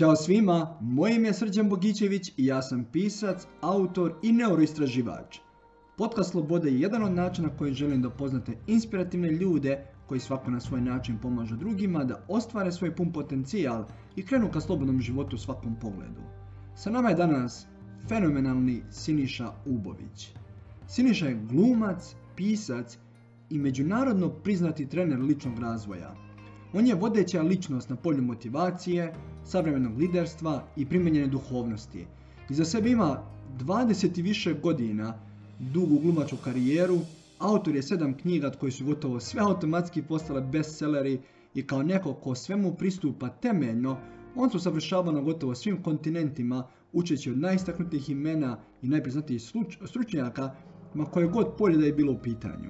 Ćao svima, moje ime je Srđan Bogićević i ja sam pisac, autor i neuroistraživač. Podcast Slobode je jedan od načina koji želim da upoznate inspirativne ljude koji svako na svoj način pomažu drugima da ostvare svoj pun potencijal i krenu ka slobodnom životu u svakom pogledu. Sa nama je danas fenomenalni Siniša Ubović. Siniša je glumac, pisac i međunarodno priznati trener ličnog razvoja. On je vodeća ličnost na polju motivacije, savremenog liderstva i primenjene duhovnosti. Iza sebe ima 20 i više godina dugu glumačku karijeru, autor je 7 knjiga od koji su gotovo sve automatski postale bestselleri i kao neko ko svemu pristupa temeljno, on se usavršava na gotovo svim kontinentima, učeći od najistaknutijih imena i najpriznatijih stručnjaka, ma koje god polje da je bilo u pitanju.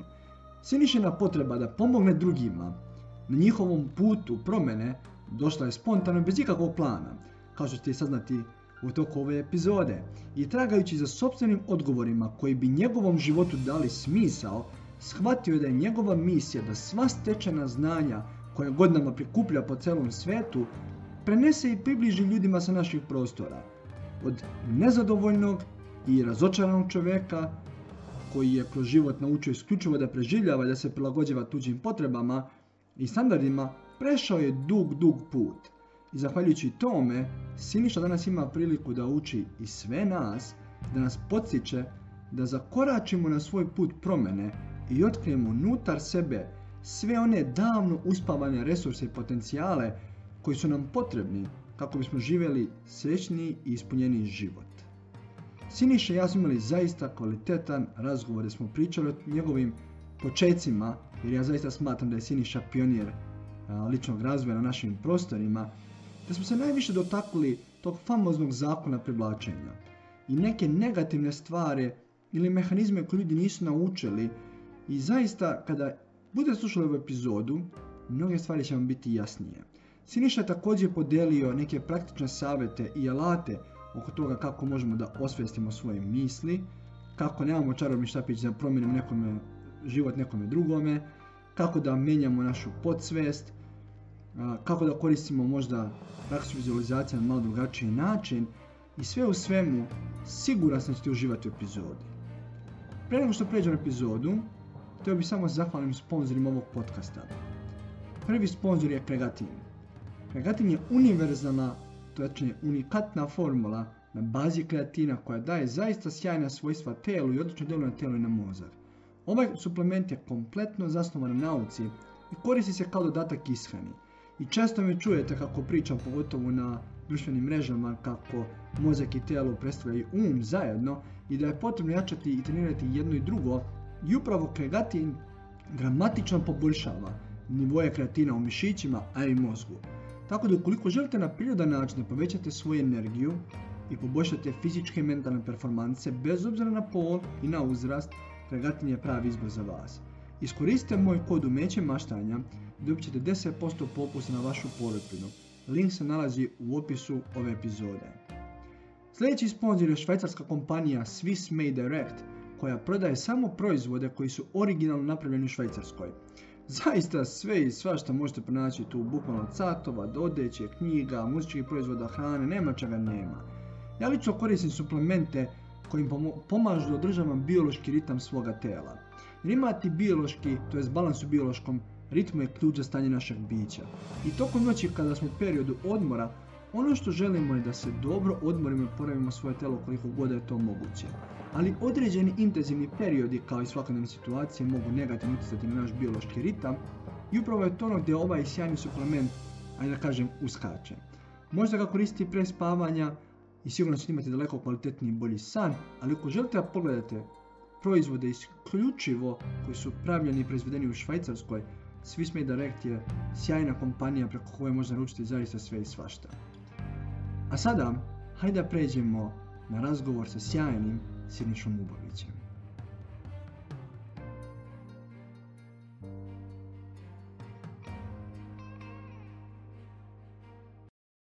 Sinišina potreba da pomogne drugima na njihovom putu promjene došla je spontano bez ikakvog plana, kao što ćete saznati u toku ove epizode. I tragajući za sopstvenim odgovorima koji bi njegovom životu dali smisao, shvatio je da je njegova misija da sva stečena znanja koja godinama prikuplja po celom svetu prenese i približi ljudima sa naših prostora. Od nezadovoljnog i razočaranog čovjeka koji je kroz život naučio isključivo da preživljava i da se prilagođava tuđim potrebama i standardima, prešao je dug put. I zahvaljujući tome, Siniša danas ima priliku da uči i sve nas, da nas podsjeća da zakoračimo na svoj put promjene i otkrijemo unutar sebe sve one davno uspavane resurse i potencijale koji su nam potrebni kako bismo živjeli srećniji i ispunjeniji život. Siniša i ja smo imali zaista kvalitetan razgovor, da smo pričali o njegovim počecima, jer ja zaista smatram da je Siniša pionir ličnog razvoja na našim prostorima, da smo se najviše dotakli tog famoznog zakona privlačenja i neke negativne stvari ili mehanizme koje ljudi nisu naučili. I zaista, kada budete slušali ovu epizodu, mnoge stvari će vam biti jasnije. Siniša je također podelio neke praktične savjete i alate oko toga kako možemo da osvijestimo svoje misli, kako nemamo čarobni štapić da promijenimo život nekome drugome, kako da mijenjamo našu podsvijest, kako da koristimo možda praksu vizualizacije na malo drugačiji način i sve u svemu siguran sam da ćete uživati u epizodi. Prije nego što pređem na epizodu, htio bih samo zahvalim sponzorima ovog podcasta. Prvi sponzor je Kregatin. Kregatin je univerzalna, točnije unikatna formula na bazi kreatina koja daje zaista sjajna svojstva telu i odlično djeluje na telo i na mozak. Ovaj suplement je kompletno zasnovan na nauci i koristi se kao dodatak ishrani. I često me čujete kako pričam, pogotovo na društvenim mrežama, kako mozak i telo predstavljaju zajedno i da je potrebno jačati i trenirati jedno i drugo. I upravo Kregatin dramatično poboljšava nivoje kreatina u mišićima, a i mozgu. Tako da ukoliko želite na prirodan način da povećate svoju energiju i poboljšate fizičke i mentalne performanse bez obzira na pol i na uzrast, Kregatin je pravi izbor za vas. Iskoristite moj kod Umeće maštanja i dobit ćete 10% popusta na vašu polepinu. Link se nalazi u opisu ove epizode. Sljedeći sponzor je švajcarska kompanija Swiss Made Direct, koja prodaje samo proizvode koji su originalno napravljeni u Švajcarskoj. Zaista sve i svašta možete pronaći tu, bukvalno od satova, do odeće, knjiga, muzičkih proizvoda, hrane, nema čega nema. Ja lično koristim suplemente koji pomažu da održavam biološki ritam svoga tela. Jer imati biološki, to balans u biološkom ritmu je ključ za stanje našeg bića. I tokom noći kada smo u periodu odmora, ono što želimo je da se dobro odmorimo i oporavimo svoje telo koliko god je to moguće. Ali određeni intenzivni periodi kao i svakodnevne situacije mogu negativno utjecati na naš biološki ritam i upravo je to ono gdje ovaj sjajni suplement, ajde da kažem, uskače. Možete ga koristiti pre spavanja i sigurno ćete imati daleko kvalitetniji i bolji san, ali ako želite da pogledate proizvode isključivo koji su pravljeni i proizvedeni u Švajcarskoj, Swiss Made Direct je sjajna kompanija preko koje možete naručiti zaista sve i svašta. A sada, hajde da pređemo na razgovor sa sjajnim Sinišom Ubovićem.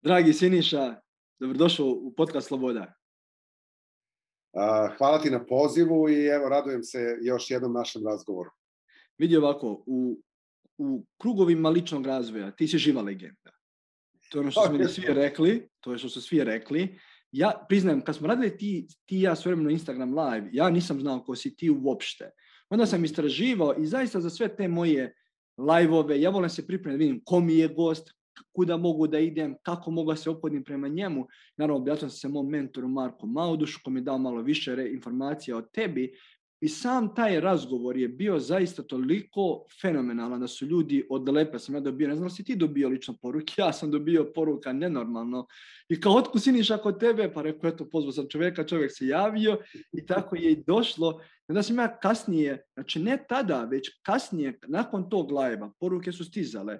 Dragi Siniša, dobrodošao u podcast Sloboda. Hvala ti na pozivu i evo, radujem se još jednom našem razgovoru. Vidi ovako, u krugovima ličnog razvoja ti si živa legenda. To je ono što su meni svi rekli, to je što su svi rekli. Ja priznajem, kad smo radili ti i ja svojevremeno Instagram live, ja nisam znao ko si ti uopšte. Onda sam istraživao i zaista za sve te moje live-ove, ja volim se pripremiti, vidim ko mi je gost, kuda mogu da idem, kako mogu da se ophodim prema njemu. Naravno, obratio sam se mom mentoru Marku Maudušu, koji mi je dao malo više informacija o tebi. I sam taj razgovor je bio zaista toliko fenomenalan da su ljudi odlepe. Sam ja dobio, ne znam si ti dobio lično poruke, ja sam dobio poruka nenormalno. I kao otkud Siniša kod tebe? Pa rekao, eto, pozvao sam čovjeka, čovjek se javio i tako je i došlo. Onda sam ja kasnije, znači ne tada, već kasnije, nakon tog live-a, poruke su stizale.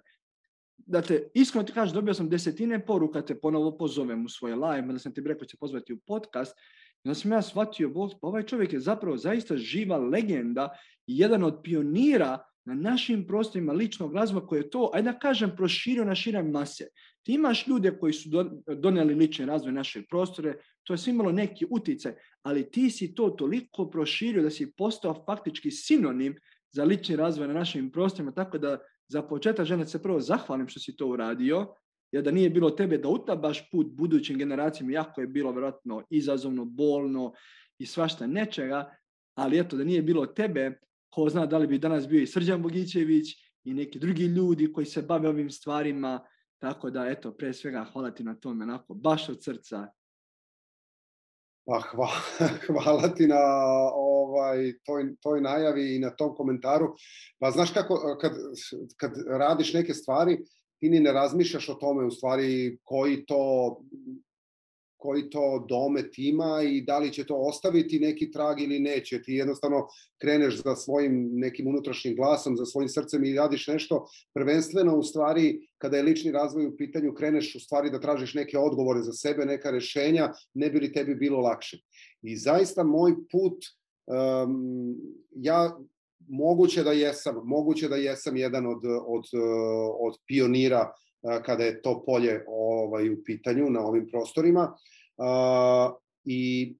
Dakle, iskreno ti kažeš, dobio sam 10 poruka, te ponovo pozovem u svoj live, da sam ti rekao će pozvati u podcast. I onda sam ja shvatio, pa ovaj čovjek je zapravo zaista živa legenda i jedan od pionira na našim prostorima ličnog razvoja koji je to, ajde da kažem, proširio na šire mase. Ti imaš ljude koji su donijeli lični razvoj naše prostore, to je sve imalo neki utjecaj, ali ti si to toliko proširio da si postao faktički sinonim za lični razvoj na našim prostorima, tako da za početak želim se prvo zahvalim što si to uradio, jer da nije bilo tebe da utabaš put budućim generacijama, jako je bilo vjerojatno izazovno, bolno i svašta nečega, ali eto, da nije bilo tebe, ko zna da li bi danas bio i Srđan Bogićević i neki drugi ljudi koji se bave ovim stvarima, tako da eto, pre svega hvala ti na tome, onako, baš od srca. Pa hvala ti na toj najavi i na tom komentaru. Pa znaš kako, kad radiš neke stvari, ti ni ne razmišljaš o tome u stvari koji to domet ima i da li će to ostaviti neki trag ili neće. Ti jednostavno kreneš za svojim nekim unutrašnjim glasom, za svojim srcem i radiš nešto. Prvenstveno u stvari, kada je lični razvoj u pitanju, kreneš u stvari da tražiš neke odgovore za sebe, neka rešenja, ne bi li tebi bilo lakše. I zaista moj put, ja moguće da jesam jedan od pionira kada je to polje u pitanju na ovim prostorima i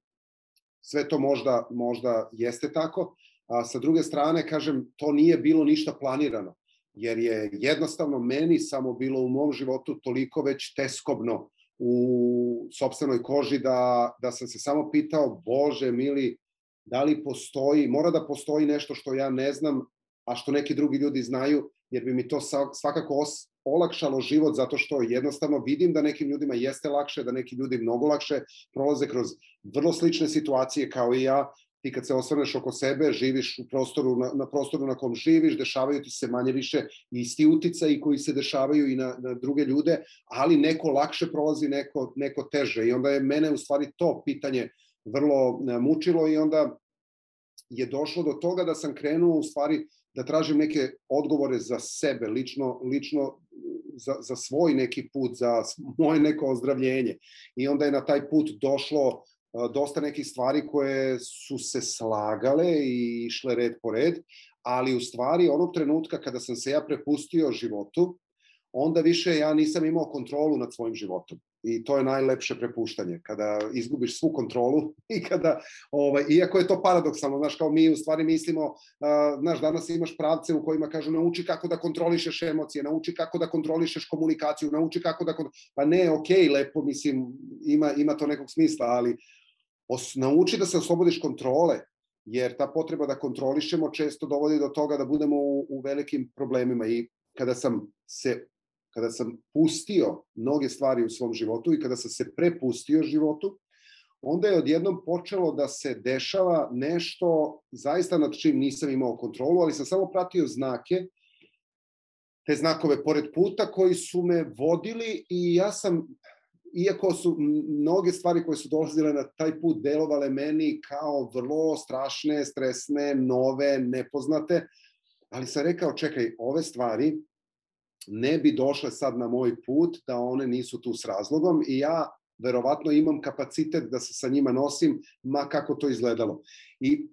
sve to možda jeste tako. Sa druge strane, kažem, to nije bilo ništa planirano, jer je jednostavno meni samo bilo u mom životu toliko već teskobno u sopstvenoj koži da sam se samo pitao, Bože mili, da li mora da postoji nešto što ja ne znam, a što neki drugi ljudi znaju, jer bi mi to svakako olakšalo život, zato što jednostavno vidim da nekim ljudima jeste lakše, da neki ljudi mnogo lakše prolaze kroz vrlo slične situacije kao i ja. Ti kad se osvrneš oko sebe, živiš na prostoru na kom živiš, dešavaju ti se manje više isti uticaji koji se dešavaju i na druge ljude, ali neko lakše prolazi, neko teže. I onda je mene u stvari to pitanje vrlo mučilo i onda je došlo do toga da sam krenuo u stvari da tražim neke odgovore za sebe, lično za svoj neki put, za moje neko ozdravljenje. I onda je na taj put došlo dosta nekih stvari koje su se slagale i išle red po red, ali u stvari onog trenutka kada sam se ja prepustio životu, onda više ja nisam imao kontrolu nad svojim životom. I to je najlepše prepuštanje, kada izgubiš svu kontrolu i kada, iako je to paradoksalno, znaš, kao mi u stvari mislimo, znaš, danas imaš pravce u kojima kažu nauči kako da kontrolišeš emocije, nauči kako da kontrolišeš komunikaciju, nauči kako da, pa ne, okej, lepo, mislim, ima to nekog smisla, ali nauči da se oslobodiš kontrole, jer ta potreba da kontrolišemo često dovodi do toga da budemo u velikim problemima. I kada sam pustio mnoge stvari u svom životu i kada sam se prepustio životu, onda je odjednom počelo da se dešava nešto zaista nad čim nisam imao kontrolu, ali sam samo pratio znake, te znakove pored puta koji su me vodili i ja sam, iako su mnoge stvari koje su dolazile na taj put delovale meni kao vrlo strašne, stresne, nove, nepoznate, ali sam rekao, čekaj, ove stvari ne bi došle sad na moj put, da one nisu tu s razlogom i ja verovatno imam kapacitet da se sa njima nosim, ma kako to izgledalo. I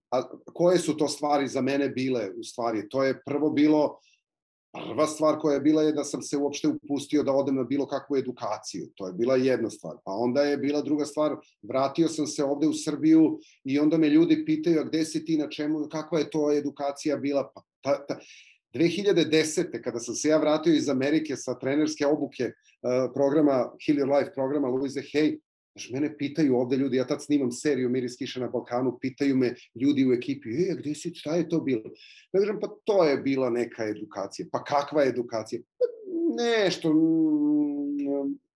koje su to stvari za mene bile u stvari? To je prva stvar koja je bila je da sam se uopšte upustio da odem na bilo kakvu edukaciju. To je bila jedna stvar. Pa onda je bila druga stvar, vratio sam se ovde u Srbiju i onda me ljudi pitaju, a gde si ti, na čemu, kakva je to edukacija bila? 2010. kada sam se ja vratio iz Amerike sa trenerske obuke programa, Heal Your Life programa Louise Hay, mene pitaju ovde ljudi, ja tad snimam seriju Miris kiše na Balkanu, pitaju me ljudi u ekipi, gde si, šta je to bilo? Ja kažem, pa to je bila neka edukacija. Pa kakva edukacija? Pa nešto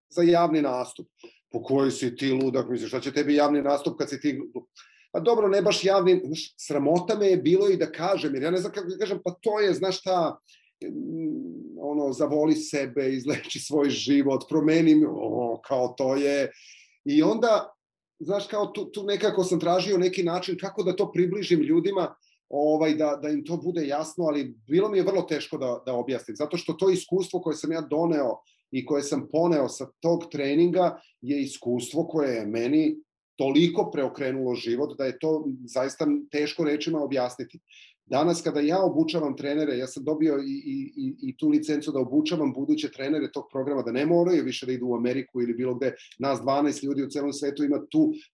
za javni nastup. Po kojoj si ti ludak, misliš, šta će tebi javni nastup kad si ti... Pa dobro, ne baš javni, sramota me je bilo i da kažem, jer ja ne znam kako da kažem, pa to je, znaš šta, zavoli sebe, izleči svoj život, promeni, kao to je... I onda, znaš, kao tu nekako sam tražio neki način kako da to približim ljudima, da im to bude jasno, ali bilo mi je vrlo teško da objasnim, zato što to iskustvo koje sam ja doneo i koje sam poneo sa tog treninga je iskustvo koje je meni toliko preokrenulo život da je to zaista teško rečima objasniti. Danas kada ja obučavam trenere, ja sam dobio i tu licencu da obučavam buduće trenere tog programa, da ne moraju više da idu u Ameriku ili bilo gde, nas 12 ljudi u celom svetu ima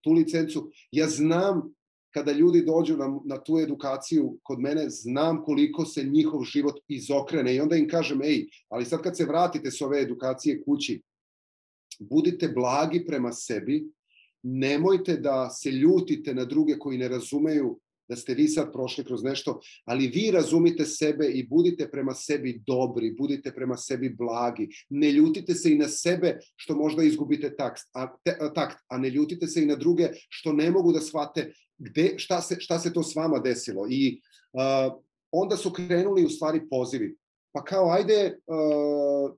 tu licencu. Ja znam kada ljudi dođu na tu edukaciju kod mene, znam koliko se njihov život izokrene i onda im kažem, ali sad kad se vratite s ove edukacije kući, budite blagi prema sebi, nemojte da se ljutite na druge koji ne razumeju da ste vi sad prošli kroz nešto, ali vi razumite sebe i budite prema sebi dobri, budite prema sebi blagi. Ne ljutite se i na sebe što možda izgubite takt, a ne ljutite se i na druge što ne mogu da shvate šta se to s vama desilo. I onda su krenuli u stvari pozivi. Pa kao, ajde,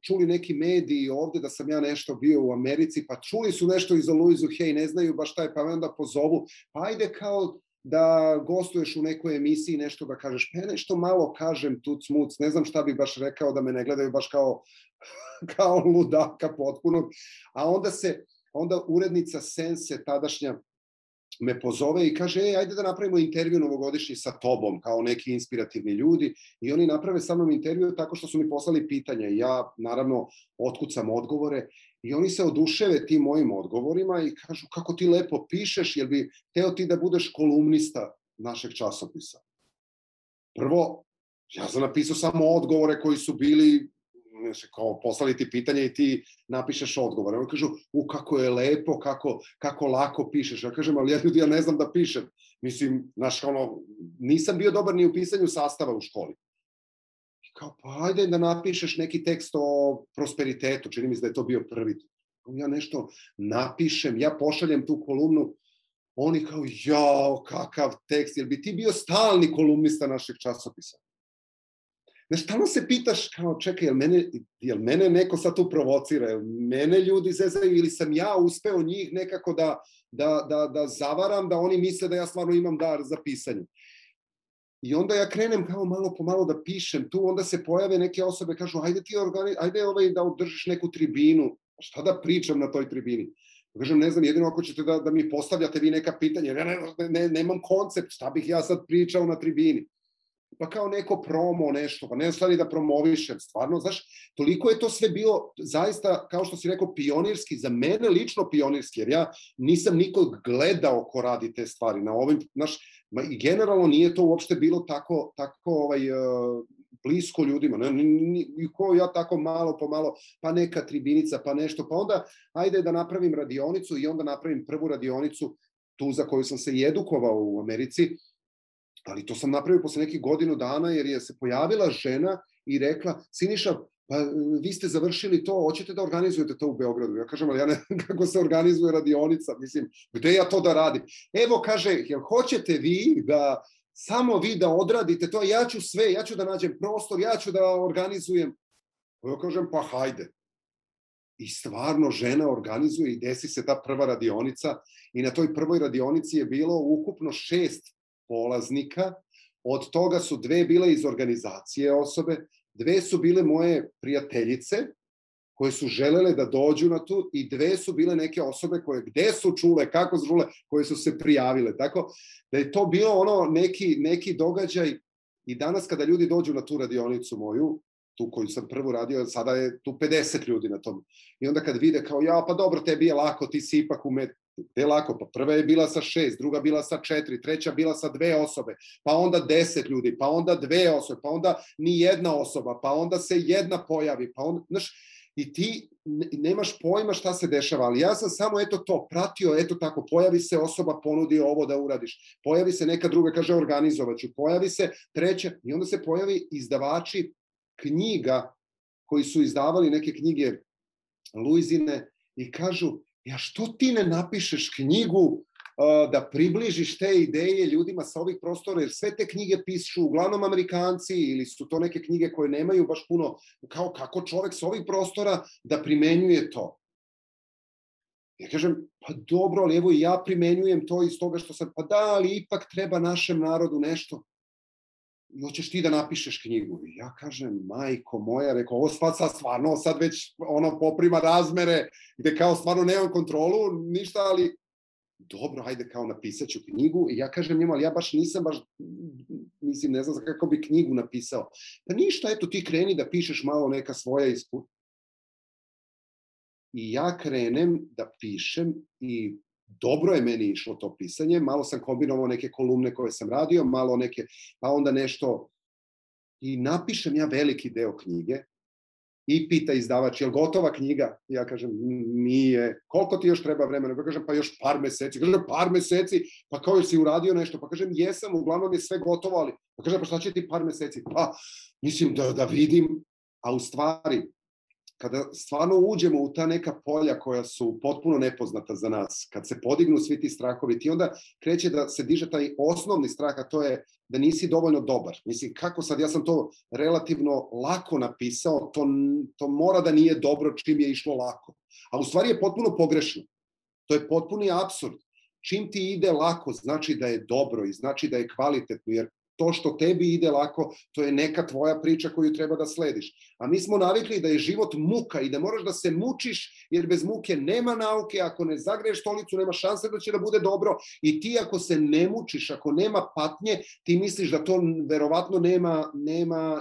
čuli neki mediji ovde da sam ja nešto bio u Americi, pa čuli su nešto i za Louise Hay, ne znaju baš šta je, pa me onda pozovu, pa ajde kao da gostuješ u nekoj emisiji, nešto da kažeš, pa ja nešto malo kažem tuc muc, ne znam šta bi baš rekao da me ne gledaju baš kao ludaka potpuno, a onda urednica Sense tadašnja me pozove i kaže, ajde da napravimo intervju novogodišnji sa tobom, kao neki inspirativni ljudi, i oni naprave sa mnom intervju tako što su mi poslali pitanja i ja, naravno, otkucam odgovore i oni se oduševe tim mojim odgovorima i kažu, kako ti lepo pišeš, jel bi hteo ti da budeš kolumnista našeg časopisa? Prvo, ja sam napisao samo odgovore koji su bili, kao poslali ti pitanja i ti napišeš odgovore. Oni kažu, kako je lepo, kako lako pišeš. Ja kažem, ali ja ne znam da pišem. Mislim, znaš, nisam bio dobar ni u pisanju sastava u školi. I kao, pa ajde da napišeš neki tekst o prosperitetu. Čini mi se da je to bio prvi. Ja nešto napišem, ja pošaljem tu kolumnu. Oni kao, jao, kakav tekst. Jel bi ti bio stalni kolumnista našeg časopisa? Znaš, stalno se pitaš, kao, čekaj, jel mene neko sad tu provocira, jel mene ljudi zezaju ili sam ja uspeo njih nekako da zavaram, da oni misle da ja stvarno imam dar za pisanje. I onda ja krenem kao malo po malo da pišem tu, onda se pojave neke osobe, kažu, ajde da održiš neku tribinu, šta da pričam na toj tribini? Kažem, ne znam, jedino ako ćete da mi postavljate vi neka pitanja, jer ja nemam koncept, šta bih ja sad pričao na tribini. Pa kao neko promo, nešto, pa ne stvari da promovišem, stvarno, znaš, toliko je to sve bilo zaista, kao što si rekao, pionirski, za mene lično pionirski, jer ja nisam nikog gledao ko radi te stvari na ovim, znaš, i generalno nije to uopšte bilo tako blisko ljudima, i ko ja tako malo po malo, pa neka tribinica, pa nešto, pa onda ajde da napravim radionicu i onda napravim prvu radionicu, tu za koju sam se i edukovao u Americi, ali to sam napravio posle nekih godinu dana jer je se pojavila žena i rekla, Siniša, pa vi ste završili to, hoćete da organizujete to u Beogradu? Ja kažem, ali ja ne znam kako se organizuje radionica, mislim, gde ja to da radim? Evo, kaže, jel hoćete vi da, samo vi da odradite to, ja ću sve, ja ću da nađem prostor, ja ću da organizujem. Ja kažem, pa hajde. I stvarno žena organizuje i desi se ta prva radionica i na toj prvoj radionici je bilo ukupno 6 polaznika, od toga su 2 bile iz organizacije osobe, 2 su bile moje prijateljice koje su želele da dođu na tu i 2 su bile neke osobe koje gde su čule, kako su čule, koje su se prijavile. Tako da je to bilo neki događaj i danas kada ljudi dođu na tu radionicu moju, tu koju sam prvu radio, sada je tu 50 ljudi na tom. I onda kad vide kao, ja, pa dobro, tebi je lako, ti si ipak gde je lako? Pa prva je bila sa 6, druga bila sa 4, treća bila sa 2 osobe, pa onda 10 ljudi, pa onda 2 osobe, pa onda ni jedna osoba, pa onda se jedna pojavi, pa onda, znaš, i ti nemaš pojma šta se dešava, ali ja sam samo eto to pratio, eto tako, pojavi se osoba, ponudi ovo da uradiš, pojavi se neka druga, kaže organizovaću, pojavi se treća, i onda se pojavi izdavači knjiga koji su izdavali neke knjige Luizine i kažu, ja što ti ne napišeš knjigu da približiš te ideje ljudima sa ovih prostora, jer sve te knjige pišu uglavnom Amerikanci ili su to neke knjige koje nemaju baš puno, kao kako čovek sa ovih prostora da primenjuje to. Ja kažem, pa dobro, ali evo i ja primenjujem to iz toga što sam, pa da, ali ipak treba našem narodu nešto. I hoćeš ti da napišeš knjigu. I ja kažem, majko moja, rekao, ovo stvarno sad već poprima razmere, gde kao stvarno nemam kontrolu, ništa, ali dobro, hajde kao napisat ću knjigu. I ja kažem njima, ali ja nisam mislim, ne znam kako bi knjigu napisao. Pa ništa, eto ti kreni da pišeš malo neka svoja iskustva. I ja krenem da pišem i dobro je meni išlo to pisanje, malo sam kombinovao neke kolumne koje sam radio, malo neke, pa onda nešto, i napišem ja veliki deo knjige i pita izdavač, je li gotova knjiga? Ja kažem, nije. Koliko ti još treba vremena? Ja kažem, pa još par meseci. Kažem, par meseci? Pa kao još si uradio nešto? Pa kažem, jesam, uglavnom je sve gotovo, ali, pa kažem, pa šta će ti par meseci? Pa, mislim da vidim, a u stvari, kada stvarno uđemo u ta neka polja koja su potpuno nepoznata za nas, kad se podignu svi ti strahovi, ti onda kreće da se diže taj osnovni strah, a to je da nisi dovoljno dobar. Mislim, kako sad, ja sam to relativno lako napisao, to mora da nije dobro čim je išlo lako. A u stvari je potpuno pogrešno. To je potpuni apsurd. Čim ti ide lako, znači da je dobro i znači da je kvalitetno, jer to što tebi ide lako, to je neka tvoja priča koju treba da slediš. A mi smo navikli da je život muka i da moraš da se mučiš, jer bez muke nema nauke, ako ne zagreješ stolicu, nema šanse da će da bude dobro, i ti ako se ne mučiš, ako nema patnje, ti misliš da to verovatno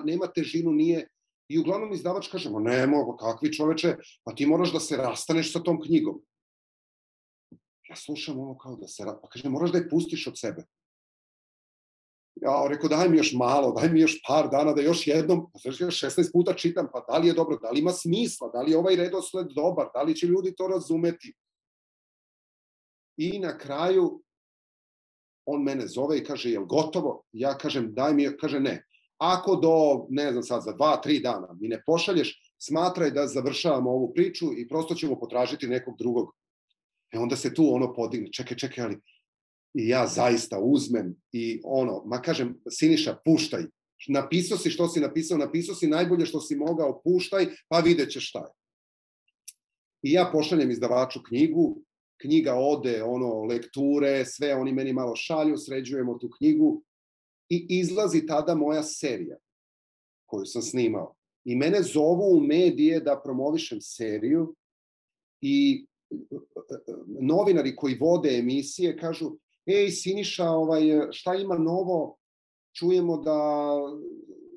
nema težinu, nije. I uglavnom izdavač kaže, ne mogu, kakvi čoveče, pa ti moraš da se rastaneš sa tom knjigom. Ja slušam ovo kao da se, pa kaže, moraš da je pustiš od sebe. Ja rekao, daj mi još malo, daj mi još par dana, da još jednom, 16 puta čitam, pa da li je dobro, da li ima smisla, da li je ovaj redosled dobar, da li će ljudi to razumeti. I na kraju, on mene zove i kaže, jel gotovo? Ja kažem, daj mi, kaže ne. Ako do, ne znam sad, za 2-3 dana mi ne pošalješ, smatraj da završavamo ovu priču i prosto ćemo potražiti nekog drugog. Onda se tu podigne, čekaj, ali i ja zaista uzmem i ma kažem, Siniša, puštaj. Napisao si što si napisao si najbolje što si mogao, puštaj, pa vidjet ćeš šta je. I ja pošaljem izdavaču knjigu, knjiga ode, lekture, sve, oni meni malo šalju, sređujemo tu knjigu i izlazi tada moja serija koju sam snimao. I mene zovu u medije da promovišem seriju i novinari koji vode emisije kažu, ej, Siniša, šta ima novo? Čujemo da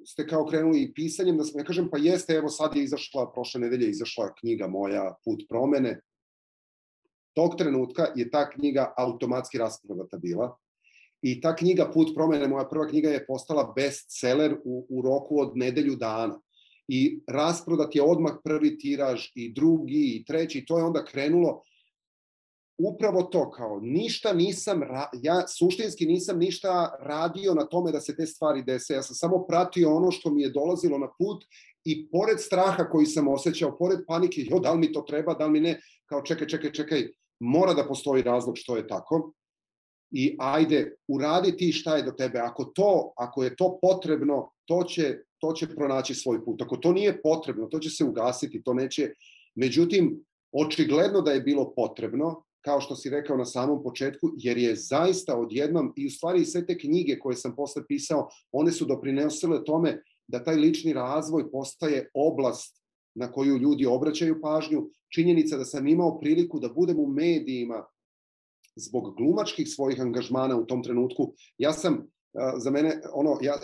ste kao krenuli pisanjem, ja kažem, pa jeste, evo sad je izašla, prošle nedelje izašla knjiga moja, Put promene. Tog trenutka je ta knjiga automatski rasprodata bila i ta knjiga Put promene, moja prva knjiga, je postala bestseller u roku od nedelju dana. I rasprodat je odmah prvi tiraž i drugi i treći, to je onda krenulo. Upravo to, kao ništa nisam, ja suštinski nisam ništa radio na tome da se te stvari dese, ja sam samo pratio ono što mi je dolazilo na put i pored straha koji sam osjećao, pored panike, da li mi to treba, da li mi ne, kao čekaj, mora da postoji razlog što je tako i ajde, uradi ti šta je do tebe, ako je to potrebno, to će pronaći svoj put, ako to nije potrebno, to će se ugasiti, to neće, međutim, očigledno da je bilo potrebno, kao što si rekao na samom početku, jer je zaista odjednom, i u stvari sve te knjige koje sam posle pisao, one su doprinosile tome da taj lični razvoj postaje oblast na koju ljudi obraćaju pažnju. Činjenica da sam imao priliku da budem u medijima zbog glumačkih svojih angažmana u tom trenutku. Ja sam, za mene,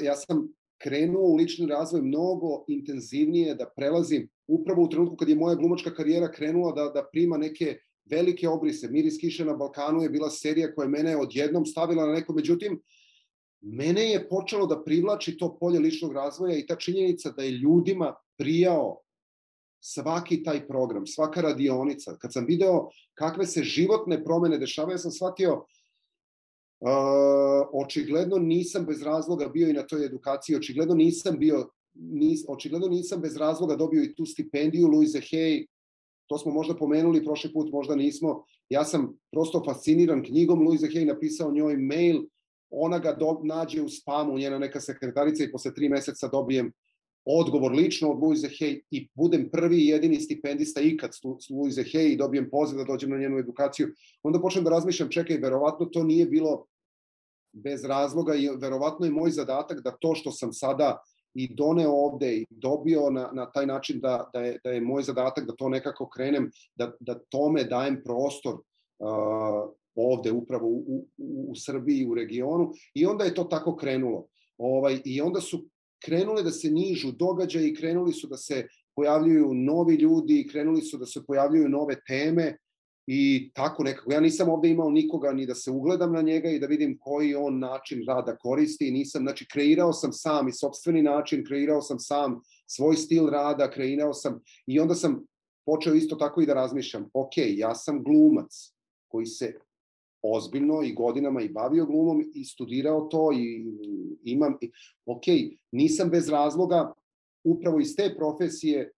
ja sam krenuo u lični razvoj mnogo intenzivnije, da prelazim upravo u trenutku kad je moja glumačka karijera krenula da prima neke velike obrise. Miris kiše na Balkanu je bila serija koja mene odjednom stavila na neko, međutim, mene je počelo da privlači to polje ličnog razvoja i ta činjenica da je ljudima prijao svaki taj program, svaka radionica. Kad sam video kakve se životne promene dešavaju, ja sam shvatio očigledno nisam bez razloga bio i na toj edukaciji, očigledno nisam bez razloga dobio i tu stipendiju Louise Hay, to smo možda pomenuli prošli put, možda nismo. Ja sam prosto fasciniran knjigom Louise Hay, napisao njoj mail, ona ga nađe u spamu, njena neka sekretarica i posle 3 meseca dobijem odgovor lično od Louise Hay i budem prvi i jedini stipendista ikad s Louise Hay i dobijem poziv da dođem na njenu edukaciju. Onda počnem da razmišljam, čekaj, verovatno to nije bilo bez razloga i verovatno je moj zadatak da to što sam sada i doneo ovde i dobio na taj način da je moj zadatak da to nekako krenem, da tome dajem prostor ovde upravo u Srbiji, u regionu, i onda je to tako krenulo. I onda su krenule da se nižu događaji i krenuli su da se pojavljuju novi ljudi i krenuli su da se pojavljuju nove teme i tako nekako. Ja nisam ovde imao nikoga ni da se ugledam na njega i da vidim koji on način rada koristi. Nisam, znači, kreirao sam sam i sopstveni način, kreirao sam sam svoj stil rada, kreirao sam i onda sam počeo isto tako i da razmišljam, ok, ja sam glumac koji se ozbiljno i godinama i bavio glumom i studirao to i imam, ok, nisam bez razloga upravo iz te profesije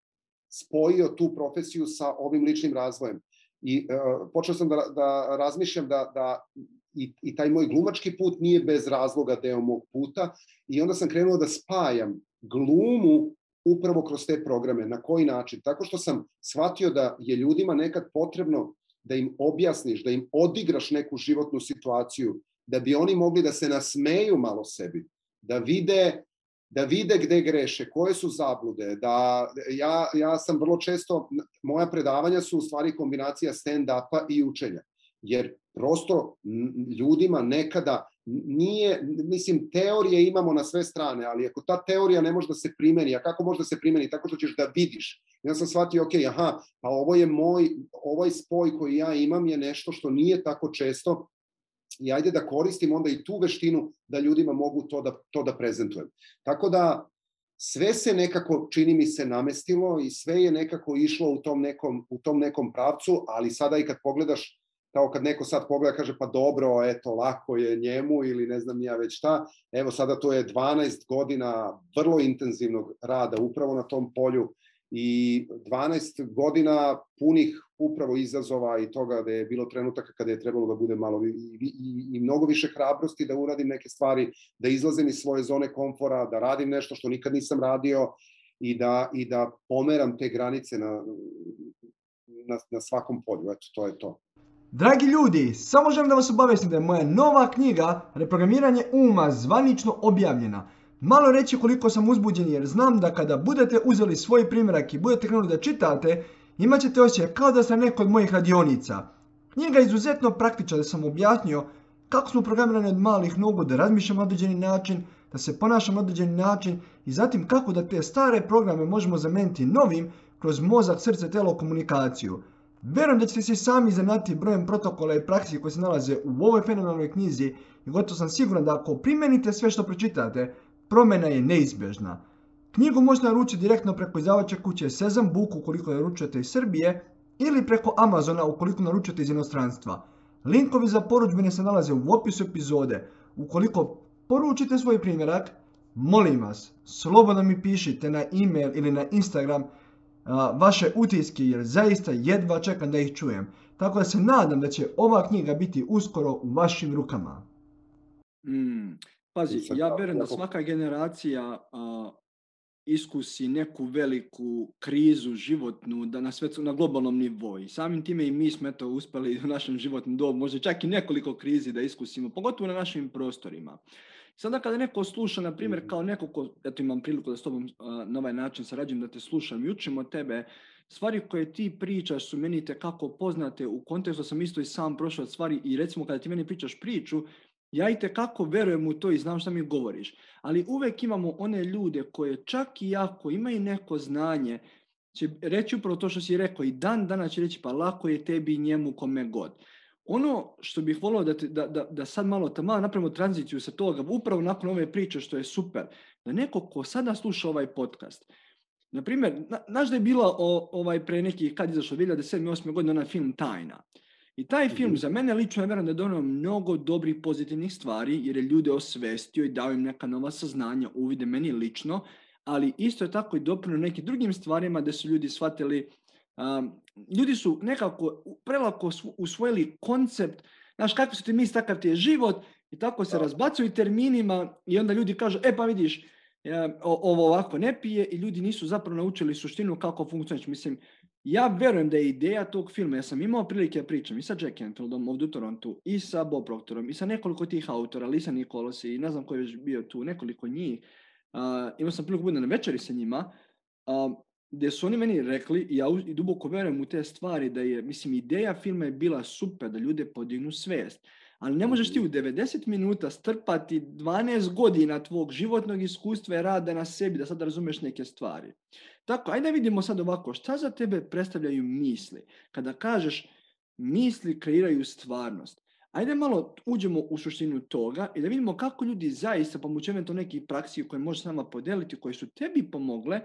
spojio tu profesiju sa ovim ličnim razvojem. I počeo sam da razmišljam da i taj moj glumački put nije bez razloga deo mog puta i onda sam krenuo da spajam glumu upravo kroz te programe. Na koji način? Tako što sam shvatio da je ljudima nekad potrebno da im objasniš, da im odigraš neku životnu situaciju, da bi oni mogli da se nasmeju malo sebi, da vide gde greše, koje su zablude, da ja sam vrlo često, moja predavanja su u stvari kombinacija stand-upa i učenja, jer prosto ljudima nekada nije, mislim, teorije imamo na sve strane, ali ako ta teorija ne može da se primeni, a kako može da se primeni? Tako što ćeš da vidiš. Ja sam shvatio, ok, pa ovaj spoj koji ja imam je nešto što nije tako često i ajde da koristim onda i tu veštinu da ljudima mogu to da prezentujem. Tako da sve se nekako, čini mi se, namestilo i sve je nekako išlo u tom nekom pravcu, ali sada i kad pogledaš, kao kad neko sad pogleda, kaže pa dobro, eto, lako je njemu ili ne znam ja već šta, evo sada to je 12 godina vrlo intenzivnog rada upravo na tom polju i 12 godina punih upravo izazova i toga da je bilo trenutaka kada je trebalo da bude malo i mnogo više hrabrosti da uradim neke stvari, da izlazim iz svoje zone komfora, da radim nešto što nikad nisam radio i da pomeram te granice na svakom polju. Eto, to je to. Dragi ljudi, samo želim da vas obavestim da je moja nova knjiga Reprogramiranje uma zvanično objavljena. Malo reći koliko sam uzbuđen jer znam da kada budete uzeli svoj primjerak i budete krenuli da čitate, imat ćete osjećaj kao da sam neko od mojih radionica. Knjiga je izuzetno praktična, da sam objasnio kako smo programirani od malih nogu, da razmišljamo na određeni način, da se ponašamo na određeni način i zatim kako da te stare programe možemo zameniti novim kroz mozak, srce, telo, komunikaciju. Vjerujem da ćete se sami iznenaditi brojem protokola i praksi koji se nalaze u ovoj fenomenalnoj knjizi i gotovo sam siguran da ako primenite sve što pročitate, promjena je neizbježna. Knjigu možete naručiti direktno preko izdavačke kuće Sezam Book ukoliko naručujete iz Srbije ili preko Amazona ukoliko naručujete iz inostranstva. Linkovi za porudžbine se nalaze u opisu epizode. Ukoliko poručite svoj primjerak, molim vas, slobodno mi pišite na e-mail ili na Instagram vaše utiske jer zaista jedva čekam da ih čujem. Tako da se nadam da će ova knjiga biti uskoro u vašim rukama. Pazi, ja vjerujem da svaka generacija iskusi neku veliku krizu životnu na globalnom nivou. I samim time i mi smo uspjeli u našem životnom dobu, možda čak i nekoliko krizi da iskusimo, pogotovo na našim prostorima. Sada kada neko sluša, na primjer, kao neko ko, imam priliku da s tobom na ovaj način sarađujem, da te slušam i učim od tebe, stvari koje ti pričaš su meni tekako poznate, u kontekstu sam isto i sam prošao stvari i recimo kada ti meni pričaš priču, ja itekako verujem u to i znam šta mi govoriš. Ali uvek imamo one ljude koje čak i ako imaju neko znanje, će reći upravo to što si rekao i dan danas će reći pa lako je tebi i njemu kome god. Ono što bih volio da sad malo napravimo tranziciju sa toga, upravo nakon ove priče što je super, da neko ko sada sluša ovaj podcast, na primjer, znaš da je bila pre nekih, kad izašlo 2007-2008 godine, onaj film Tajna. I taj film za mene lično je vjerujem da je donio mnogo dobrih pozitivnih stvari, jer je ljude osvestio i dao im neka nova saznanja, uvide meni lično, ali isto je tako i doprinio nekim drugim stvarima da su ljudi shvatili, ljudi su nekako prelako usvojili koncept, znaš, kako su ti misli, takav ti je život, i tako se razbacuju terminima i onda ljudi kažu, pa vidiš, ovo ovako ne pije, i ljudi nisu zapravo naučili suštinu kako funkcioniš. Mislim, ja verujem da je ideja tog filma, ja sam imao prilike da pričam i sa Jack Canfieldom ovdje u Torontu, i sa Bob Proctorom, i sa nekoliko tih autora, Lisa Nicholas i ne znam ko je već bio tu, nekoliko njih. Imao sam priliku bude na večeri sa njima, gdje su oni meni rekli, i ja duboko verujem u te stvari, da je, mislim, ideja filma je bila super, da ljude podignu svijest. Ali ne možeš ti u 90 minuta strpati 12 godina tvog životnog iskustva i rada na sebi da sad razumeš neke stvari. Tako, ajde vidimo sad ovako, šta za tebe predstavljaju misli? Kada kažeš misli kreiraju stvarnost, ajde malo uđemo u suštinu toga i da vidimo kako ljudi zaista, pomoću eventualno nekih praksi koje možeš s nama podeliti, koje su tebi pomogle,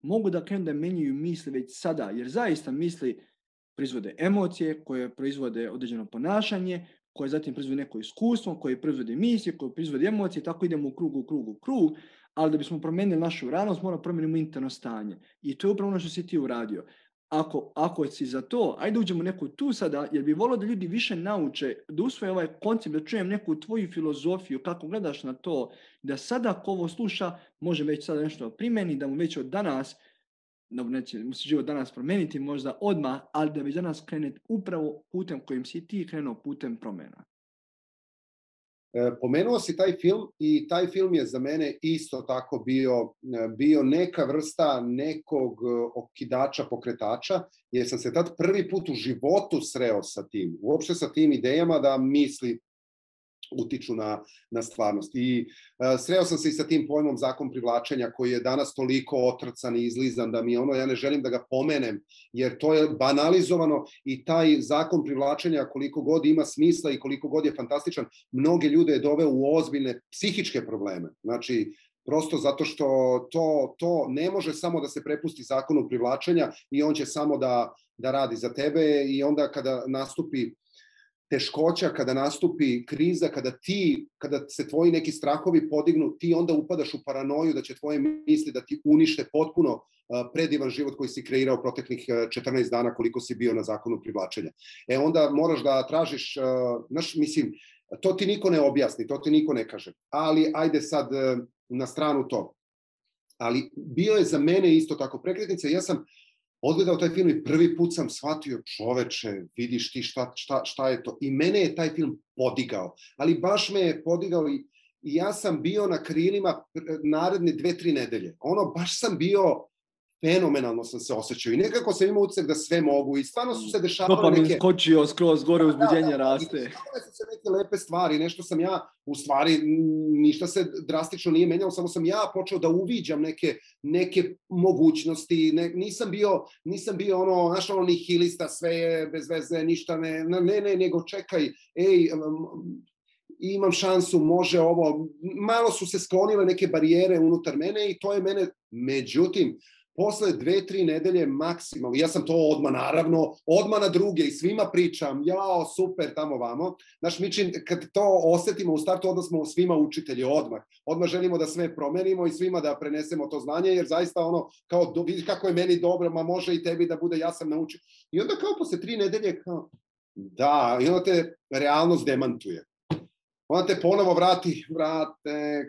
mogu da krenu da menjaju misli već sada, jer zaista misli proizvode emocije, koje proizvode određeno ponašanje, koje zatim proizvode neko iskustvo, koje proizvode misije, koje proizvode emocije, tako idemo u krug, ali da bismo promenili našu realnost, moramo promijeniti interno stanje. I to je upravo ono što si ti uradio. Ako si za to, ajde uđemo neku tu sada, jer bi volio da ljudi više nauče, da usvoje ovaj koncept, da čujem neku tvoju filozofiju, kako gledaš na to, da sada ko ovo sluša, može već sada nešto primjeni, da mu već od danas, neće mu se život danas promijeniti možda odmah, ali da već danas krene upravo putem kojim si ti krenuo, putem promjena. Pomenuo si taj film i taj film je za mene isto tako bio neka vrsta nekog okidača, pokretača, jer sam se tad prvi put u životu sreo sa tim, uopšte sa tim idejama da misli utiču na stvarnost. I sreo sam se i sa tim pojmom zakon privlačenja koji je danas toliko otrcan i izlizan da mi ja ne želim da ga pomenem, jer to je banalizovano i taj zakon privlačenja koliko god ima smisla i koliko god je fantastičan, mnoge ljude je doveo u ozbiljne psihičke probleme. Znači, prosto zato što to ne može samo da se prepusti zakonu privlačenja i on će samo da radi za tebe, i onda kada nastupi teškoća, kada nastupi kriza, kada se tvoji neki strahovi podignu, ti onda upadaš u paranoju da će tvoje misli da ti unište potpuno predivan život koji si kreirao proteklih 14 dana koliko si bio na zakonu privlačenja. Onda moraš da tražiš, mislim, to ti niko ne objasni, to ti niko ne kaže. Ali ajde sad na stranu to. Ali bio je za mene isto tako prekretnica. Ja sam odgledao taj film i prvi put sam shvatio, čoveče, vidiš ti šta je to. I mene je taj film podigao. Ali baš me je podigao i ja sam bio na krilima naredne 2-3 nedelje. Baš sam bio, fenomenalno sam se osjećao i nekako sam imao utisak da sve mogu i stvarno su se dešavale neke... Dopamin skočio skroz gore, uzbuđenje raste. I dešavale su se neke lepe stvari, nešto sam ja, u stvari, ništa se drastično nije menjalo, samo sam ja počeo da uviđam neke mogućnosti, nisam bio nihilista, sve je bez veze, ništa ne, nego čekaj, imam šansu, može ovo, malo su se sklonile neke barijere unutar mene i to je mene, međutim, posle 2-3 nedelje maksimalno, ja sam to odmah na druge i svima pričam, jao, super, tamo vamo. Znaš, mi kad to osetimo u startu, onda smo svima učitelji odmah želimo da sve promenimo i svima da prenesemo to znanje, jer zaista kao, vidiš kako je meni dobro, ma može i tebi da bude, ja sam naučio. I onda kao posle 3 nedelje, da, i onda te realnost demantuje. Onda te ponovo vrate,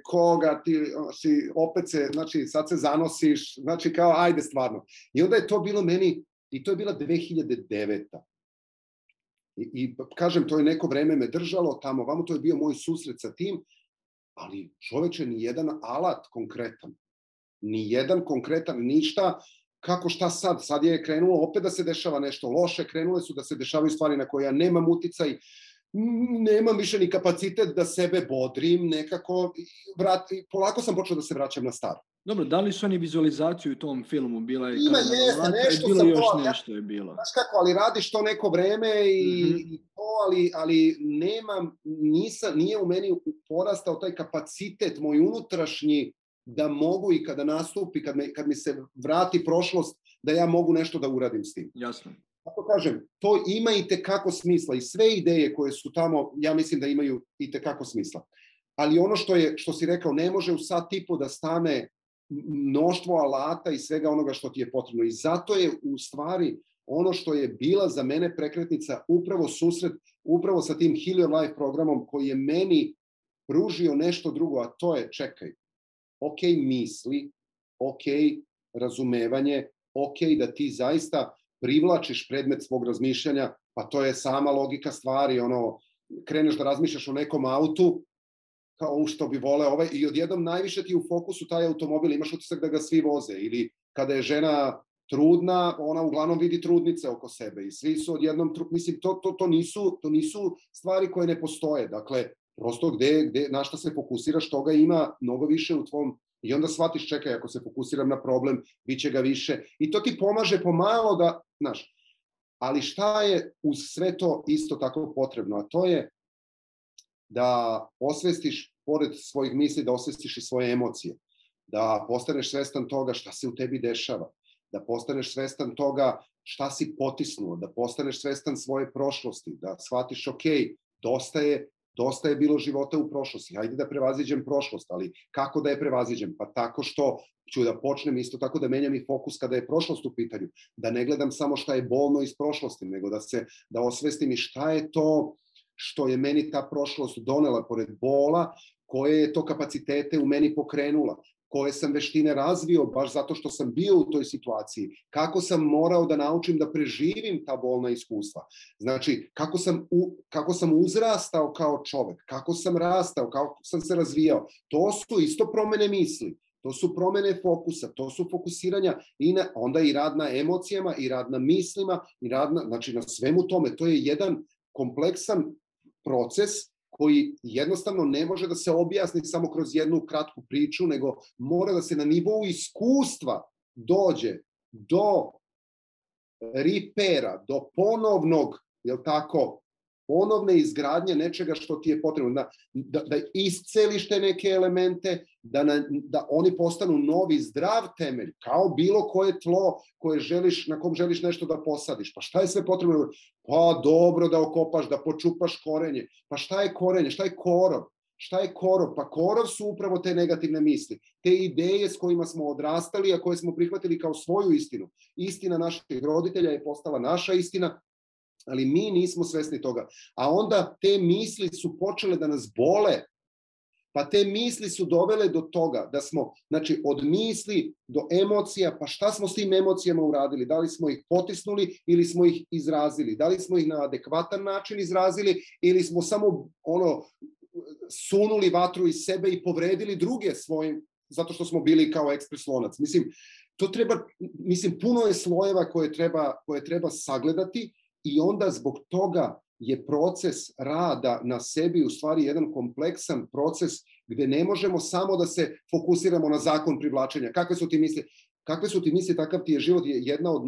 koga ti si, opet se, znači sad se zanosiš, znači kao ajde stvarno. I onda je to bilo meni, i to je bila 2009. I kažem, to je neko vreme me držalo tamo, vamo to je bio moj susret sa tim, ali čoveče, ni jedan alat konkretan, ništa, kako šta sad? Sad je krenulo opet da se dešava nešto loše, krenule su da se dešavaju stvari na koje ja nemam uticaj. nemam više ni kapacitet da sebe bodrim, nekako, polako sam počeo da se vraćam na staro. Dobro, da li su oni vizualizaciju u tom filmu? Bila je Ima, jeste, nešto bilo sam još to, nešto je bilo. Znaš kako, ali radiš to neko vreme i to, ali nije u meni porastao taj kapacitet, moj unutrašnji, da mogu i kada nastupi, kad mi se vrati prošlost, da ja mogu nešto da uradim s tim. Jasno. Kako kažem, to ima i tekako smisla i sve ideje koje su tamo, ja mislim da imaju i tekako smisla. Ali ono što si rekao, ne može u sat i po da stane mnoštvo alata i svega onoga što ti je potrebno. I zato je u stvari ono što je bila za mene prekretnica upravo susret, upravo sa tim Heal Your Life programom koji je meni pružio nešto drugo, a to je, čekaj, ok misli, ok razumevanje, ok da ti zaista privlačiš predmet svog razmišljanja, pa to je sama logika stvari, kreneš da razmišljaš o nekom autu, kao što bi vole i odjednom najviše ti u fokusu taj automobil, imaš utisak da ga svi voze, ili kada je žena trudna, ona uglavnom vidi trudnice oko sebe i svi su odjednom, mislim, to nisu stvari koje ne postoje, dakle, prosto na šta se fokusiraš, toga ima mnogo više u tvom, i onda shvatiš, čekaj, ako se fokusiram na problem, bit će ga više, i to ti pomaže pomalo da, znaš, ali šta je uz sve to isto tako potrebno, a to je da osvestiš, pored svojih misli, da osvestiš i svoje emocije, da postaneš svestan toga šta se u tebi dešava, da postaneš svestan toga šta si potisnuo, da postaneš svestan svoje prošlosti, da shvatiš, ok, dosta je bilo života u prošlosti, hajde da prevaziđem prošlost, ali kako da je prevaziđem? Pa tako što ću da počnem isto tako da menjam i fokus kada je prošlost u pitanju, da ne gledam samo šta je bolno iz prošlosti, nego da osvestim i šta je to što je meni ta prošlost donela pored bola, koje je to kapacitete u meni pokrenula, koje sam veštine razvio baš zato što sam bio u toj situaciji, kako sam morao da naučim da preživim ta bolna iskustva. Znači, kako sam uzrastao kao čovek, kako sam rastao, kako sam se razvijao. To su isto promene misli, to su promene fokusa, to su fokusiranja i onda i rad na emocijama, i rad na mislima, i rad na svemu tome. To je jedan kompleksan proces koji jednostavno ne može da se objasni samo kroz jednu kratku priču, nego mora da se na nivou iskustva dođe do repera, do ponovnog, jel tako, ponovne izgradnje nečega što ti je potrebno, da isceliš te neke elemente, da oni postanu novi zdrav temelj, kao bilo koje tlo na kom želiš nešto da posadiš. Pa šta je sve potrebno? Pa dobro da okopaš, da počupaš korenje. Pa šta je korenje? Šta je korov? Šta je korov? Pa korov su upravo te negativne misli, te ideje s kojima smo odrastali, a koje smo prihvatili kao svoju istinu. Istina naših roditelja je postala naša istina, ali mi nismo svesni toga. A onda te misli su počele da nas bole, pa te misli su dovele do toga da smo, znači, od misli do emocija, pa šta smo s tim emocijama uradili? Da li smo ih potisnuli ili smo ih izrazili? Da li smo ih na adekvatan način izrazili ili smo samo sunuli vatru iz sebe i povredili druge svojim, zato što smo bili kao ekspres lonac. Mislim, puno je slojeva koje treba sagledati. I onda zbog toga je proces rada na sebi u stvari jedan kompleksan proces gde ne možemo samo da se fokusiramo na zakon privlačenja. Kakve su ti misli, takav ti je život, je jedna od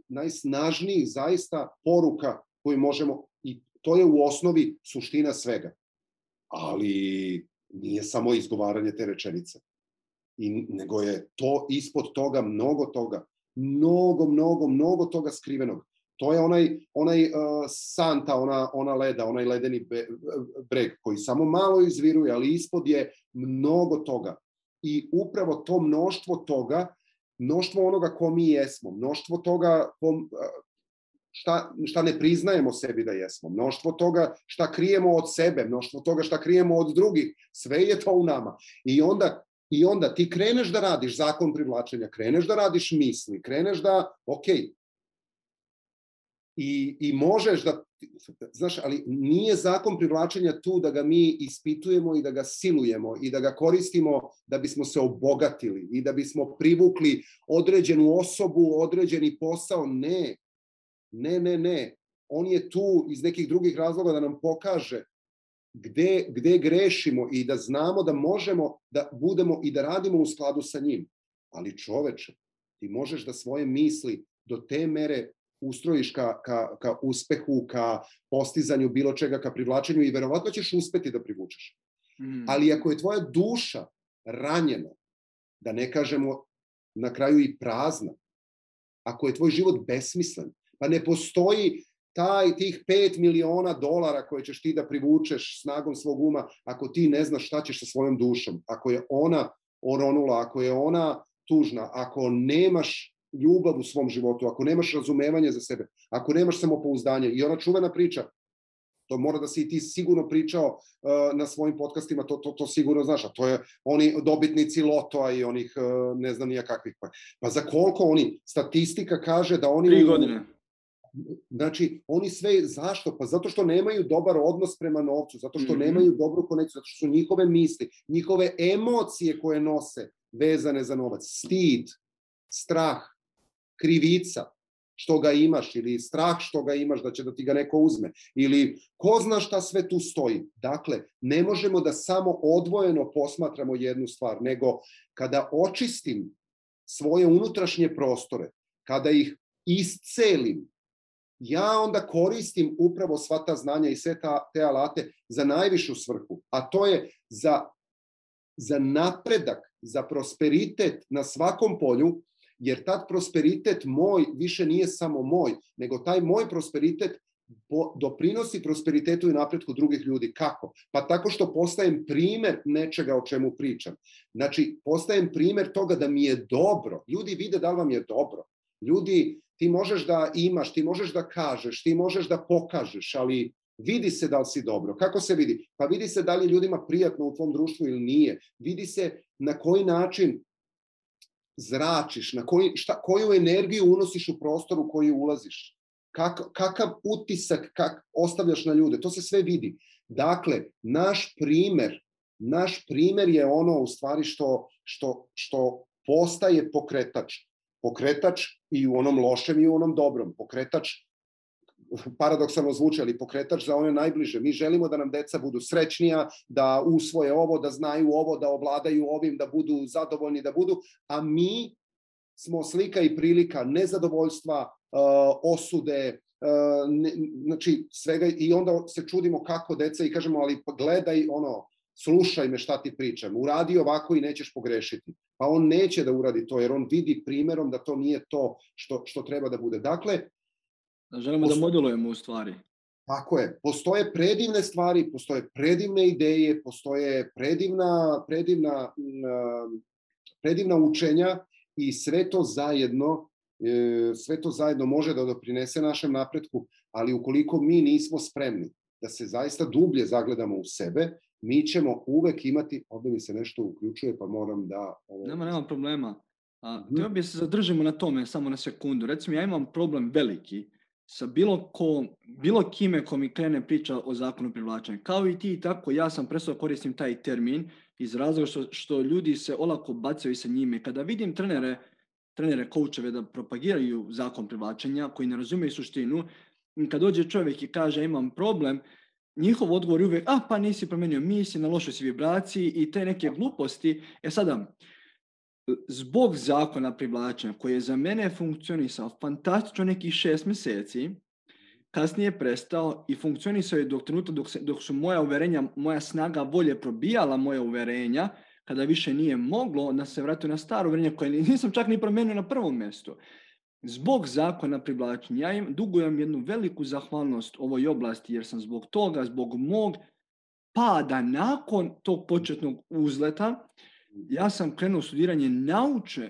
najsnažnijih zaista poruka koju možemo, i to je u osnovi suština svega. Ali nije samo izgovaranje te rečenice, nego je to ispod toga mnogo toga, mnogo toga skrivenog. To je onaj santa, ona leda, onaj ledeni breg koji samo malo izviruje, ali ispod je mnogo toga. I upravo to mnoštvo toga, mnoštvo onoga ko mi jesmo, mnoštvo toga šta ne priznajemo sebi da jesmo, mnoštvo toga šta krijemo od sebe, mnoštvo toga šta krijemo od drugih, sve je to u nama. I onda ti kreneš da radiš zakon privlačenja, kreneš da radiš misli, kreneš da, okej, i možeš da, znaš, ali nije zakon privlačenja tu da ga mi ispitujemo i da ga silujemo i da ga koristimo da bismo se obogatili i da bismo privukli određenu osobu, određeni posao. Ne. on je tu iz nekih drugih razloga da nam pokaže gde grešimo i da znamo da možemo da budemo i da radimo u skladu sa njim. Ali čoveče, ti možeš da svoje misli do te mere ustrojiš ka uspehu, ka postizanju bilo čega, ka privlačenju i verovatno ćeš uspeti da privučeš. Ali ako je tvoja duša ranjena, da ne kažemo na kraju i prazna, ako je tvoj život besmislen, pa ne postoji tih 5 miliona dolara koje ćeš ti da privučeš snagom svog uma, ako ti ne znaš šta ćeš sa svojom dušom, ako je ona oronula, ako je ona tužna, ako nemaš ljubav u svom životu, ako nemaš razumevanje za sebe, ako nemaš samopouzdanje. I ona čuvena priča, to mora da si i ti sigurno pričao na svojim podcastima, to sigurno znaš, a to je oni dobitnici lotoa i onih ne znam nija kakvih. Pa za koliko oni, statistika kaže da oni... 3 godine. Znači, oni sve, zašto? Pa zato što nemaju dobar odnos prema novcu, zato što nemaju dobru konekciju, zato što su njihove misli, njihove emocije koje nose vezane za novac, stid, strah, krivica što ga imaš ili strah što ga imaš da će da ti ga neko uzme ili ko zna šta sve tu stoji. Dakle, ne možemo da samo odvojeno posmatramo jednu stvar, nego kada očistim svoje unutrašnje prostore, kada ih iscelim, ja onda koristim upravo sva ta znanja i sve te alate za najvišu svrhu, a to je za napredak, za prosperitet na svakom polju, jer tad prosperitet moj više nije samo moj, nego taj moj prosperitet doprinosi prosperitetu i napretku drugih ljudi. Kako? Pa tako što postajem primer nečega o čemu pričam. Znači, postajem primer toga da mi je dobro. Ljudi vide da li vam je dobro. Ljudi, ti možeš da imaš, ti možeš da kažeš, ti možeš da pokažeš, ali vidi se da li si dobro. Kako se vidi? Pa vidi se da li je ljudima prijatno u tvom društvu ili nije. Vidi se na koji način zračiš, koju energiju unosiš u prostor u koji ulaziš. Kakav utisak ostavljaš na ljude. To se sve vidi. Dakle, naš primer je ono u stvari što postaje pokretač. Pokretač i u onom lošem i u onom dobrom. Pokretač, paradoksalno zvuči, ali pokretač za one najbliže. Mi želimo da nam deca budu srećnija, da usvoje ovo, da znaju ovo, da ovladaju ovim, da budu zadovoljni, da budu, a mi smo slika i prilika nezadovoljstva, osude, znači svega, i onda se čudimo kako deca i kažemo, ali gledaj, slušaj me šta ti pričam, uradi ovako i nećeš pogrešiti. Pa on neće da uradi to, jer on vidi primerom da to nije to što treba da bude. Dakle, želimo da modelujemo u stvari. Tako je. Postoje predivne stvari, postoje predivne ideje, postoje predivna učenja i sve to zajedno može da doprinese našem napretku, ali ukoliko mi nismo spremni da se zaista dublje zagledamo u sebe, mi ćemo uvek imati, ovdje mi se nešto uključuje, pa moram da... Nema problema. Htio bi se zadržimo na tome samo na sekundu. Recimo, ja imam problem veliki sa bilo kime ko mi krene priča o zakonu privlačenja. Kao i ti, tako ja sam prestao koristim taj termin iz razloga što ljudi se olako bacaju sa njime. Kada vidim trenere, koučeve da propagiraju zakon privlačenja koji ne razumiju suštinu, kad dođe čovjek i kaže imam problem, njihov odgovor je uvijek, pa nisi promenio misli, na lošoj si vibraciji i te neke gluposti. Sada, zbog zakona privlačenja koji je za mene funkcionisao fantastično nekih 6 mjeseci, kasnije je prestao i funkcionisao je dok su moja uverenja, moja snaga volje probijala moja uverenja, kada više nije moglo da se vratio na staro uverenje koje nisam čak ni promenio na prvom mjestu. Zbog zakona privlačenja ja dugujem jednu veliku zahvalnost ovoj oblasti jer sam zbog toga, zbog mog pada nakon tog početnog uzleta, ja sam krenuo studiranje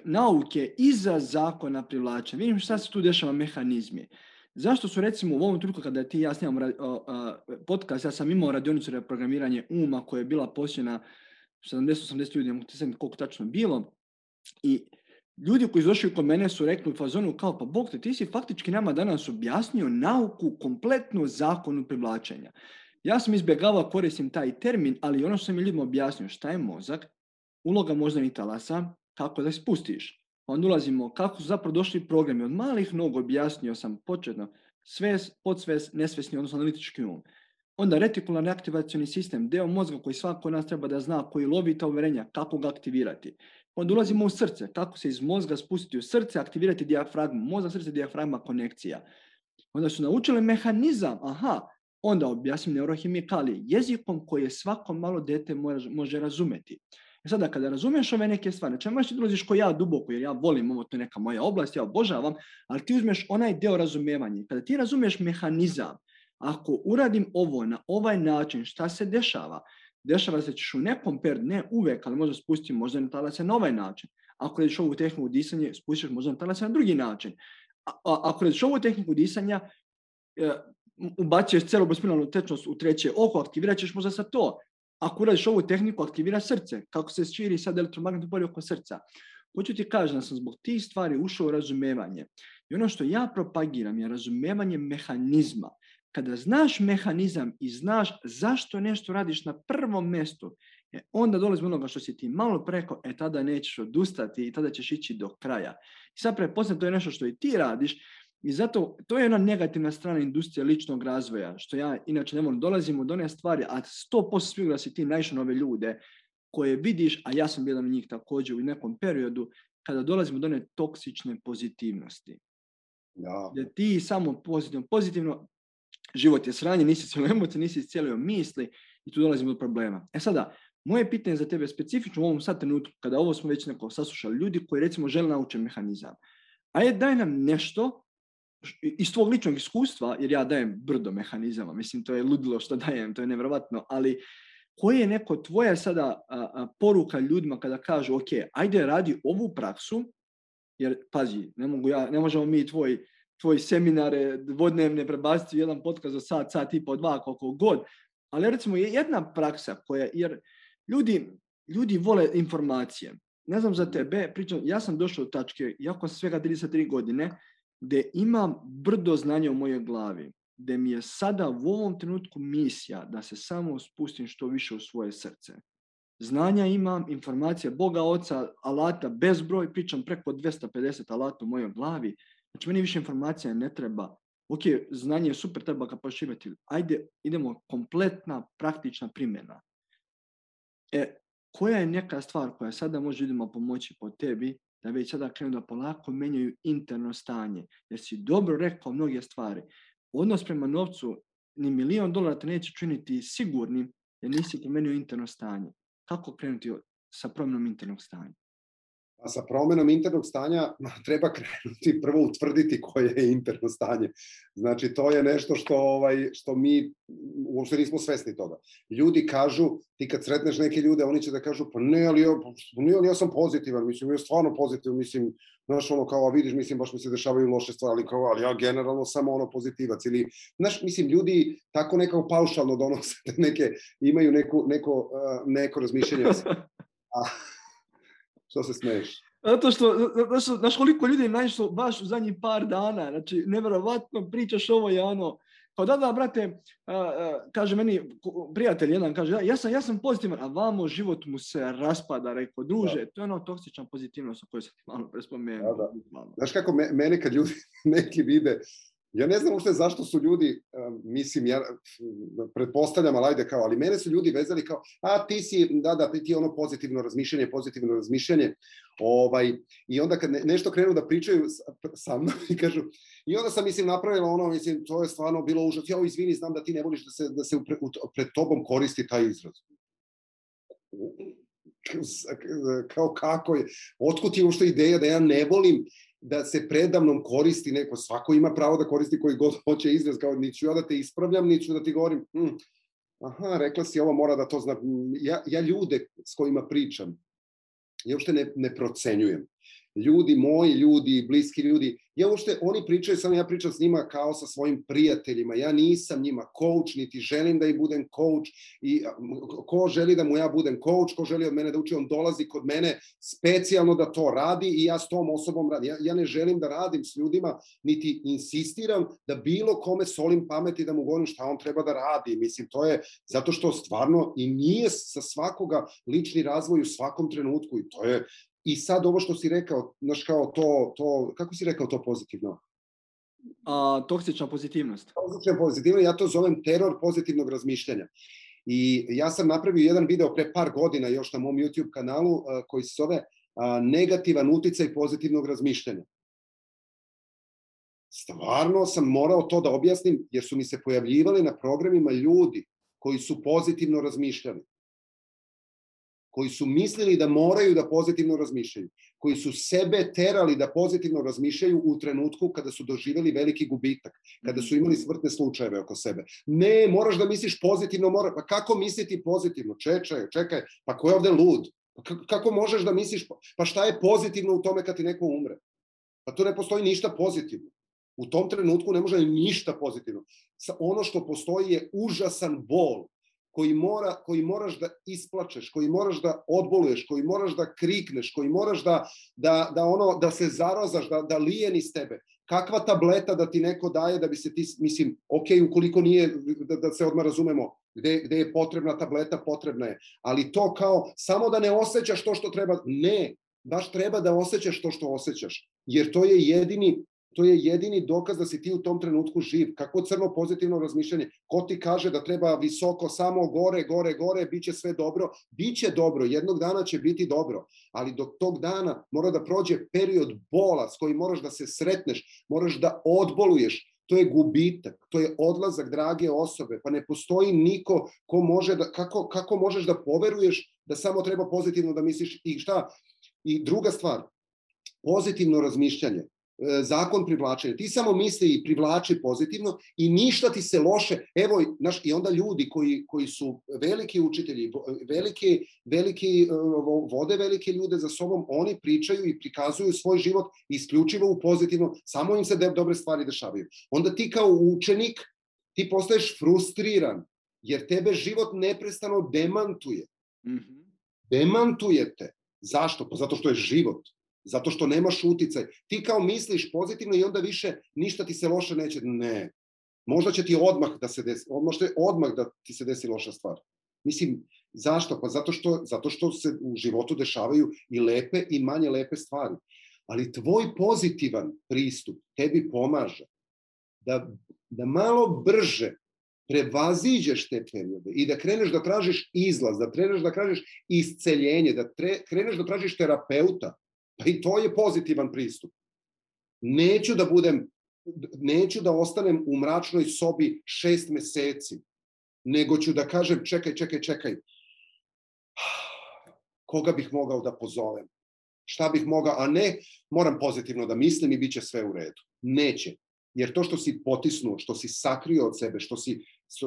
nauke iza zakona privlačenja. Vidim šta se tu dešava mehanizmi. Zašto su recimo u ovom trenutku kada ti ja snimam podcast, ja sam imao radionicu reprogramiranje uma koja je bila posjećena 70-80 ljudi, ne znam koliko tačno bilo. I ljudi koji su došli kod mene su rekli u fazonu kao, pa Bog te, ti si faktički nama danas objasnio nauku kompletnu zakonu privlačenja. Ja sam izbjegavao koristim taj termin, ali ono što sam ljudima objasnio, šta je mozak, uloga moždanih talasa, kako da spustiš. Onda ulazimo kako su zapravo došli programi. Od malih nogu objasnio sam početno Svest, podsvest, nesvesni, odnosno analitički um. Onda retikularni aktivacioni sistem, deo mozga koji svako od nas treba da zna, koji lovi ta uverenja, kako ga aktivirati. Onda ulazimo u srce, kako se iz mozga spustiti u srce, aktivirati dijafragmu, mozak, srce, dijafragma, konekcija. Onda su naučili mehanizam, onda objasnim neurohemikalije, jezikom koje svako malo dete može razumeti. Sada, kada razumiješ ove neke stvari, znači možeš ti dolaziš ko ja duboko, jer ja volim ovo, to je neka moja oblast, ja obožavam, ali ti uzmeš onaj deo razumijevanja. Kada ti razumiješ mehanizam, ako uradim ovo na ovaj način, šta se dešava? Dešava se ćeš u nekom periodu, ne uvek, ali možda spustiti možda na talase na ovaj način. Ako radiš ovu tehniku disanja, spustiš možda na talase na drugi način. Ako radiš ovu tehniku disanja, ubacuješ cerebrospinalnu tečnost u treće oko, aktivirat ćeš možda sa to. Ako uradiš ovu tehniku, aktivira srce, kako se širi sad elektromagnetno polje oko srca. Hoću ti kažem da sam zbog tih stvari ušao u razumevanje. I ono što ja propagiram je razumevanje mehanizma. Kada znaš mehanizam i znaš zašto nešto radiš na prvom mjestu, onda dolazimo onoga što si ti malo preko, tada nećeš odustati i tada ćeš ići do kraja. I sad pretpostavljam, to je nešto što i ti radiš i zato to je jedna negativna strana industrije ličnog razvoja, što ja inače ne volim. Dolazimo do one stvari, a 100% sigurno da si ti naišao na ove ljude koje vidiš, a ja sam jedan od njih također u nekom periodu, kada dolazimo do one toksične pozitivnosti. Ja. Da ti samo pozitivno, život je sranje, nisi cijelio emocije, nisi cijelio misli i tu dolazimo do problema. Sada, moje pitanje za tebe specifično u ovom sad trenutku, kada ovo smo već neko saslušali, ljudi koji recimo žele naučiti mehanizam. Daj nam nešto iz tvog ličnog iskustva, jer ja dajem brdo mehanizama, mislim to je ludilo što dajem, to je nevjerovatno, ali koja je neko tvoja sada poruka ljudima kada kažu ok, ajde radi ovu praksu, jer pazi, ne možemo mi tvoji seminare dvodnevne prebaciti u jedan podcast za sat i po dva, koliko god. Ali recimo je jedna praksa koja, jer ljudi vole informacije. Ne znam za tebe, pričam, ja sam došao do tačke, iako sam svega 33 godine, gdje imam brdo znanja u mojoj glavi, gdje mi je sada u ovom trenutku misija da se samo spustim što više u svoje srce. Znanja imam, informacije Boga Oca, alata bezbroj, pričam preko 250 alata u mojoj glavi. Znači, meni više informacija ne treba. Ok, znanje je super, treba ga proširiti. Ajde, idemo kompletna, praktična primjena. Koja je neka stvar koja sada može ljudima pomoći po tebi, da već sada krenu da polako menjaju interno stanje? Jer si dobro rekao mnoge stvari. Odnos prema novcu, ni $1.000.000 te neće činiti sigurnim, jer nisi promenio interno stanje. Kako krenuti sa promjenom internog stanja? A sa promjenom internog stanja treba krenuti prvo utvrditi koje je interno stanje. Znači, to je nešto što mi uopšte nismo svesni toga. Ljudi kažu, ti kad sretneš neke ljude, oni će da kažu, pa ne, ali ja sam pozitivan, mislim, ja stvarno pozitivan, mislim, znaš, kao, vidiš, mislim, baš mi se dešavaju loše stvari, ali ja generalno samo pozitivac. Ili, znaš, mislim, ljudi tako nekako paušalno donose neke, imaju neko razmišljanje. Što se smeješ? Zato što, znaš koliko ljudi je naišlo baš u zadnjih par dana, znači, nevjerovatno pričaš ovo je ono, kao da, brate, kaže meni, prijatelj jedan, kaže, ja sam pozitivan, a vamo život mu se raspada, rekao, druže, to je ono toksična pozitivnost o kojoj sam ti malo prespomenuo. Da. Znaš kako mene kad ljudi neki vide, ja ne znam uopšte zašto su ljudi, mislim, ja pretpostavljam, ali mene su ljudi vezali kao, ti si, ti ono pozitivno razmišljanje, i onda kad nešto krenu da pričaju sa mnom i kažu, i onda sam, mislim, napravila ono, mislim, to je stvarno bilo užas, izvini, znam da ti ne voliš da se pred tobom koristi taj izraz. Kao kako je, otkud je uopšte ideja da ja ne volim da se predamnom koristi neko, svako ima pravo da koristi koji god hoće izraz, kao niću ja da te ispravljam, niću da ti govorim, rekla si ovo, mora da to zna. Ja ljude s kojima pričam, ja uopšte ne procenjujem. Ljudi moji, ljudi, bliski ljudi, oni pričaju, samo ja pričam s njima kao sa svojim prijateljima, ja nisam njima coach, niti želim da im budem coach, i ko želi da mu ja budem coach, ko želi od mene da uči, on dolazi kod mene specijalno da to radi i ja s tom osobom radim. Ja ne želim da radim s ljudima, niti insistiram da bilo kome solim pameti da mu govorim šta on treba da radi. Mislim, to je zato što stvarno i nije sa svakoga lični razvoj u svakom trenutku i to je. I sad ovo što si rekao, znaš, kao to, kako si rekao to pozitivno? Toksična pozitivnost. Toksična pozitivnost, ja to zovem teror pozitivnog razmišljanja. I ja sam napravio jedan video pre par godina još na mom YouTube kanalu koji se zove negativan uticaj pozitivnog razmišljanja. Stvarno sam morao to da objasnim jer su mi se pojavljivali na programima ljudi koji su pozitivno razmišljali, koji su mislili da moraju da pozitivno razmišljaju, koji su sebe terali da pozitivno razmišljaju u trenutku kada su doživjeli veliki gubitak, kada su imali smrtne slučajeve oko sebe. Ne, moraš da misliš pozitivno, pa kako misliti pozitivno? Čekaj, pa ko je ovde lud? Kako možeš da misliš, pa šta je pozitivno u tome kad ti neko umre? Pa tu ne postoji ništa pozitivno. U tom trenutku ne može ništa pozitivno. Ono što postoji je užasan bol koji moraš da isplačeš, koji moraš da odboluješ, koji moraš da krikneš, koji moraš da se zarazaš, da lije niz tebe. Kakva tableta da ti neko daje da bi se ti, mislim, ok, ukoliko nije, da se odmah razumemo, gde je potrebna tableta, potrebna je. Ali to kao, samo da ne osjećaš to što treba, ne, baš treba da osjećaš to što osjećaš. Jer to je jedini dokaz da si ti u tom trenutku živ. Kako crno pozitivno razmišljanje? Ko ti kaže da treba visoko, samo gore, bit će sve dobro? Biće dobro, jednog dana će biti dobro. Ali do tog dana mora da prođe period bola s kojim moraš da se sretneš, moraš da odboluješ. To je gubitak, to je odlazak drage osobe. Pa ne postoji niko ko može da, kako možeš da poveruješ da samo treba pozitivno da misliš i šta? I druga stvar, pozitivno razmišljanje. Zakon privlačenja. Ti samo misli i privlači pozitivno i ništa ti se loše. Evo, i onda ljudi koji su veliki učitelji, vode velike ljude za sobom, oni pričaju i prikazuju svoj život isključivo u pozitivno, samo im se dobre stvari dešavaju. Onda ti kao učenik, ti postaješ frustriran, jer tebe život neprestano demantuje. Demantuje te. Zašto? Pa zato što je život. Zato što nemaš uticaj. Ti kao misliš pozitivno i onda više ništa ti se loše neće. Ne. Možda će ti odmah da ti se desi loša stvar. Mislim, zašto? Pa zato što se u životu dešavaju i lepe i manje lepe stvari. Ali tvoj pozitivan pristup tebi pomaže da malo brže prevaziđeš te periode i da kreneš da tražiš izlaz, da kreneš da tražiš isceljenje, da kreneš da tražiš terapeuta. Pa i to je pozitivan pristup. Neću da ostanem u mračnoj sobi 6 meseci, nego ću da kažem čekaj. Koga bih mogao da pozovem? Šta bih mogao? A ne, moram pozitivno da mislim i bit će sve u redu. Neće. Jer to što si potisnuo, što si sakrio od sebe,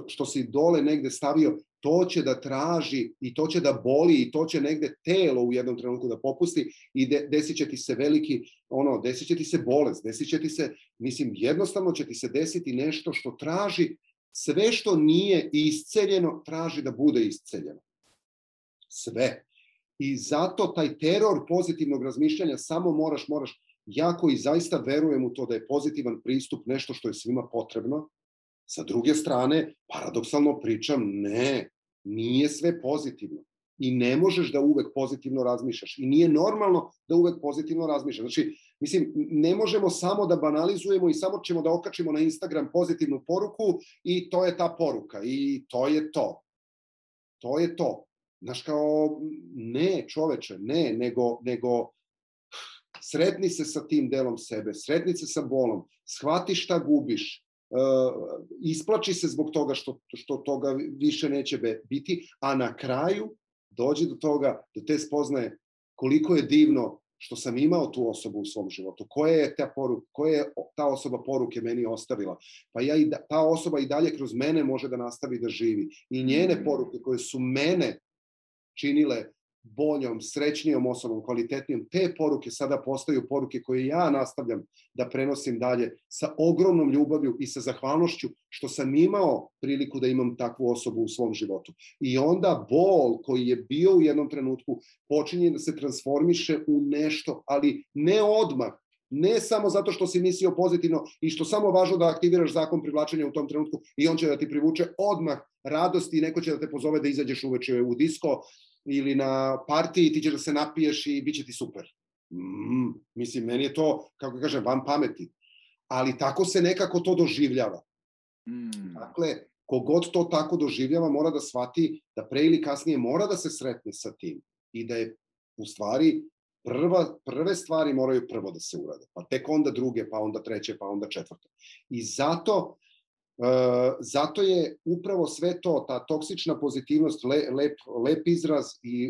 što si dole negde stavio, to će da traži i to će da boli i to će negde telo u jednom trenutku da popusti i desit će ti se desit će ti se bolest, desit će ti se, mislim, jednostavno će ti se desiti nešto što traži, sve što nije isceljeno, traži da bude isceljeno. Sve. I zato taj teror pozitivnog razmišljanja samo moraš, ja koji zaista verujem u to da je pozitivan pristup nešto što je svima potrebno, sa druge strane, paradoksalno pričam, ne, nije sve pozitivno. I ne možeš da uvek pozitivno razmišljaš. I nije normalno da uvek pozitivno razmišljaš. Znači, mislim, ne možemo samo da banalizujemo i samo ćemo da okačimo na Instagram pozitivnu poruku i to je ta poruka. I to je to. To je to. Znaš, kao, ne, čoveče, ne, nego sretni se sa tim delom sebe, sretni se sa bolom, shvati šta gubiš, isplači se zbog toga što toga više neće biti, a na kraju dođi do toga, do te spoznaje koliko je divno što sam imao tu osobu u svom životu, koja je ta osoba poruke meni ostavila. Pa ta osoba i dalje kroz mene može da nastavi da živi. I njene poruke koje su mene činile boljom, srećnijom osobom, kvalitetnijom, te poruke sada postaju poruke koje ja nastavljam da prenosim dalje sa ogromnom ljubavlju i sa zahvalnošću što sam imao priliku da imam takvu osobu u svom životu. I onda bol koji je bio u jednom trenutku počinje da se transformiše u nešto, ali ne odmah, ne samo zato što si mislio pozitivno i što samo važno da aktiviraš zakon privlačenja u tom trenutku i on će da ti privuče odmah radost i neko će da te pozove da izađeš uveče u disko ili na partiji, ti ćeš da se napiješ i bit će ti super. Mislim, meni je to, kako kažem, van pameti. ali tako se nekako to doživljava. Dakle, kogod to tako doživljava mora da shvati da pre ili kasnije mora da se sretne sa tim i da je u stvari prve stvari moraju prvo da se urade, pa tek onda druge, pa onda treće, pa onda četvrte. I zato je upravo sve to, ta toksična pozitivnost, lep izraz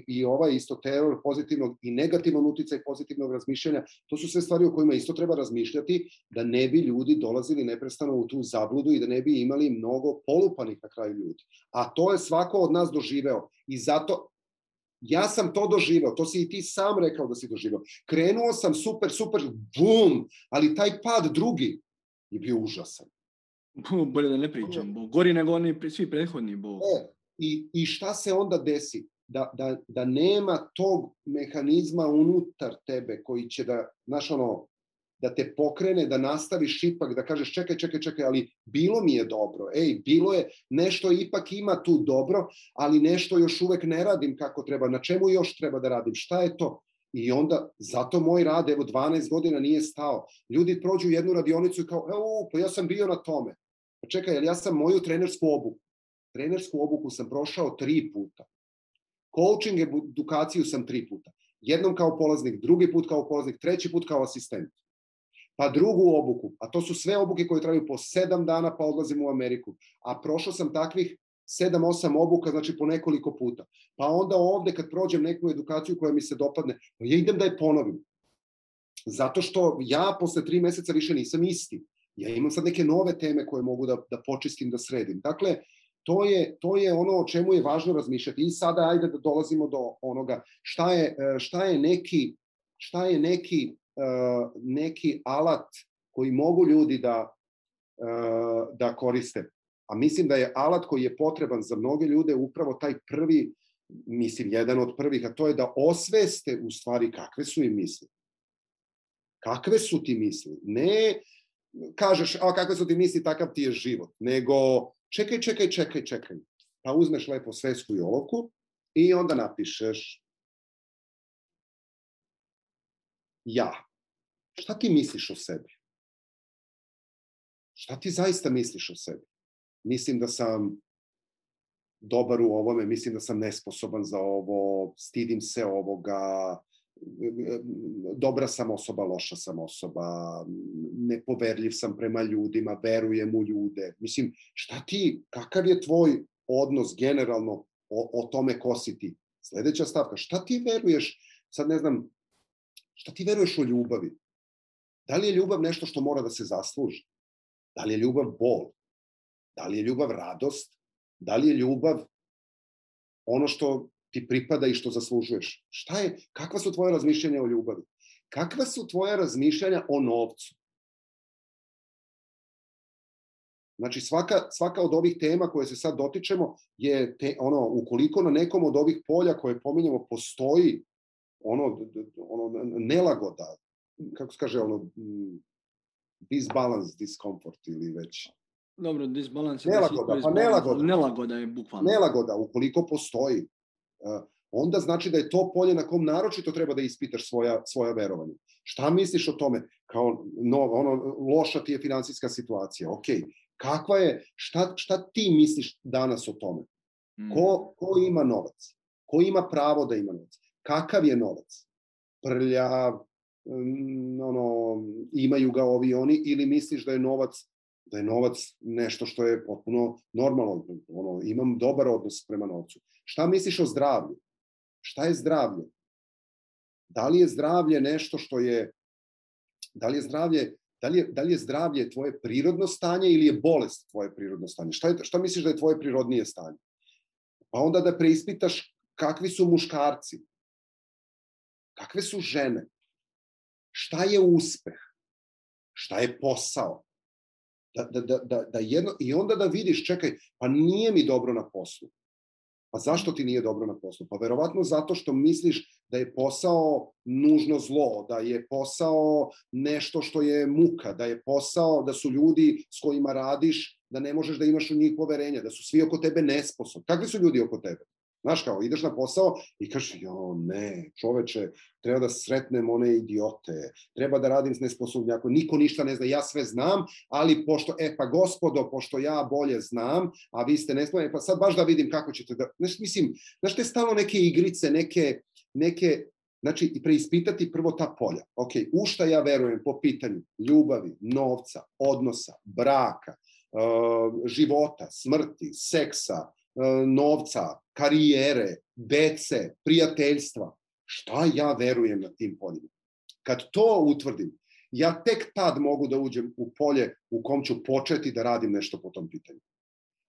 i ovaj isto teror pozitivnog i negativan uticaj pozitivnog razmišljanja, to su sve stvari o kojima isto treba razmišljati da ne bi ljudi dolazili neprestano u tu zabludu i da ne bi imali mnogo polupanih na kraju ljudi. A to je svako od nas doživeo i zato ja sam to doživeo, to si i ti sam rekao da si doživeo. Krenuo sam super, bum, ali taj pad drugi je bio užasan. Bolje da ne pričam, Bog. Gori nego oni svi prethodni, Bog. I šta se onda desi? Da nema tog mehanizma unutar tebe koji će da, znaš ono, da te pokrene, da nastaviš ipak, da kažeš čekaj, ali bilo mi je dobro, bilo je, nešto ipak ima tu dobro, ali nešto još uvek ne radim kako treba, na čemu još treba da radim, šta je to? I onda, zato moj rad, 12 godina nije stao. Ljudi prođu jednu radionicu i kao, pa ja sam bio na tome. Pa čekaj, jer ja sam moju trenersku obuku sam prošao 3 puta. Coaching edukaciju sam 3 puta. Jednom kao polaznik, drugi put kao polaznik, treći put kao asistent. Pa drugu obuku, a to su sve obuke koje traju po 7 dana, pa odlazim u Ameriku. A prošao sam takvih 7-8 obuka, znači po nekoliko puta. Pa onda ovde kad prođem neku edukaciju koja mi se dopadne, ja idem da je ponovim. Zato što ja posle 3 meseca više nisam isti. Ja imam sad neke nove teme koje mogu da počistim, da sredim. Dakle, to je ono o čemu je važno razmišljati. I sada ajde da dolazimo do onoga šta je neki alat koji mogu ljudi da koriste. A mislim da je alat koji je potreban za mnoge ljude upravo taj prvi, mislim, jedan od prvih, a to je da osveste u stvari kakve su im misli. Kakve su ti misli? Ne kažeš, kakve su ti misli, takav ti je život. Nego, čekaj. Pa uzmeš lepo svesku i olovku i onda napišeš ja. Šta ti misliš o sebi? Šta ti zaista misliš o sebi? Mislim da sam dobar u ovome, mislim da sam nesposoban za ovo, stidim se ovoga, dobra sam osoba, loša sam osoba, nepoverljiv sam prema ljudima, verujem u ljude. Mislim, kakav je tvoj odnos generalno o tome ko si ti? Sledeća stavka, šta ti veruješ, sad ne znam, šta ti veruješ o ljubavi? Da li je ljubav nešto što mora da se zasluži? Da li je ljubav bol? Da li je ljubav radost? Da li je ljubav ono što ti pripada i što zaslužuješ? Kakva su tvoje razmišljanja o ljubavi? Kakva su tvoje razmišljanja o novcu? Znači, svaka od ovih tema koje se sad dotičemo je, ukoliko na nekom od ovih polja koje pominjamo postoji nelagoda, kako se kaže, disbalance, discomfort ili već... Dobro, disbalans je... Nelagoda je bukvalno. Nelagoda, ukoliko postoji, onda znači da je to polje na kom naročito treba da ispitaš svoja verovanja. Šta misliš o tome? Kao, loša ti je finansijska situacija, okej. Kakva je, šta ti misliš danas o tome? Ko ima novac? Ko ima pravo da ima novac? Kakav je novac? Prljav, imaju ga ovi oni, ili misliš da je novac nešto što je potpuno normalno, imam dobar odnos prema novcu. Šta misliš o zdravlju? Šta je zdravlje? Da li je zdravlje nešto što je, da li je zdravlje tvoje prirodno stanje ili je bolest tvoje prirodno stanje? Šta misliš da je tvoje prirodnije stanje? Pa onda da preispitaš kakvi su muškarci, kakve su žene, šta je uspeh, šta je posao. I onda da vidiš, čekaj, pa nije mi dobro na poslu. Pa zašto ti nije dobro na poslu? Pa verovatno zato što misliš da je posao nužno zlo, da je posao nešto što je muka, da je posao, da su ljudi s kojima radiš, da ne možeš da imaš u njih poverenja, da su svi oko tebe nesposobni. Kakvi su ljudi oko tebe? Znaš, kao, ideš na posao i kažeš, jo, ne, čoveče, treba da sretnem one idiote, treba da radim s nesposobnjakom, niko ništa ne zna, ja sve znam, ali pošto, pa gospodo, pošto ja bolje znam, a vi ste nesposobni, pa sad baš da vidim kako ćete da, mislim, znaš, te stalno neke igrice, neke, znači, preispitati prvo ta polja. Ok, u šta ja verujem po pitanju ljubavi, novca, odnosa, braka, života, smrti, seksa, novca, karijere, dece, prijateljstva. Šta ja verujem na tim poljima? Kad to utvrdim, ja tek tad mogu da uđem u polje u kom ću početi da radim nešto po tom pitanju.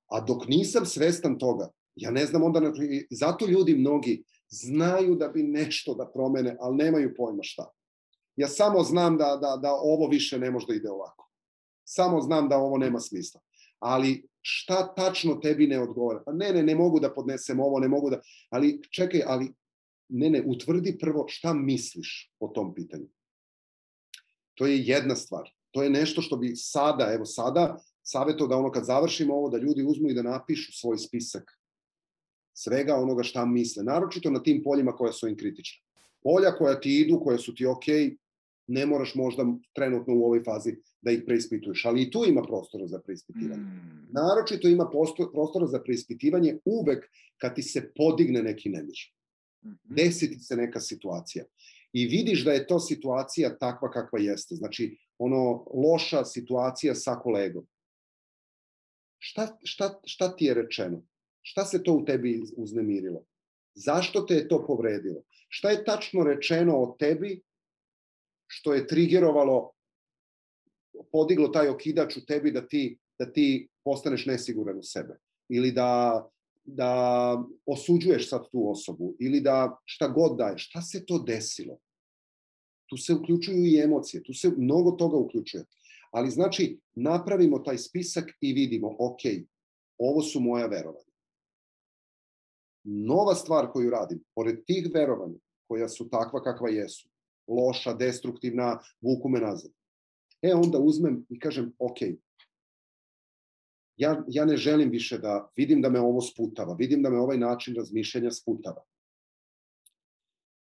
A dok nisam svestan toga, ja ne znam onda, zato ljudi mnogi znaju da bi nešto da promene, ali nemaju pojma šta. Ja samo znam da ovo više ne može da ide ovako. Samo znam da ovo nema smisla. Ali šta tačno tebi ne odgovara? Pa ne mogu da podnesem ovo, ne mogu da... Ali čekaj, utvrdi prvo šta misliš o tom pitanju. To je jedna stvar. To je nešto što bi sada savjeto da kad završimo ovo, da ljudi uzmu i da napišu svoj spisak svega onoga šta misle. Naročito na tim poljima koja su im kritična. Polja koja ti idu, koja su ti okej, ne moraš možda trenutno u ovoj fazi da ih preispituješ, ali i tu ima prostora za preispitivanje. Naročito ima prostora za preispitivanje uvek kad ti se podigne neki nemir. Desi ti se neka situacija i vidiš da je to situacija takva kakva jeste. Znači, loša situacija sa kolegom. Šta ti je rečeno? Šta se to u tebi uznemirilo? Zašto te je to povredilo? Šta je tačno rečeno o tebi što je trigerovalo, podiglo taj okidač u tebi da ti postaneš nesiguran u sebe? Ili da osuđuješ sad tu osobu? Ili da šta god daješ? Šta se to desilo? Tu se uključuju i emocije, tu se mnogo toga uključuje. Ali znači, napravimo taj spisak i vidimo, ok, ovo su moja verovanja. Nova stvar koju radim, pored tih verovanja, koja su takva kakva jesu, loša, destruktivna, vuku me nazad. Onda uzmem i kažem, ok, ja ne želim više da vidim da me ovo sputava, vidim da me ovaj način razmišljanja sputava.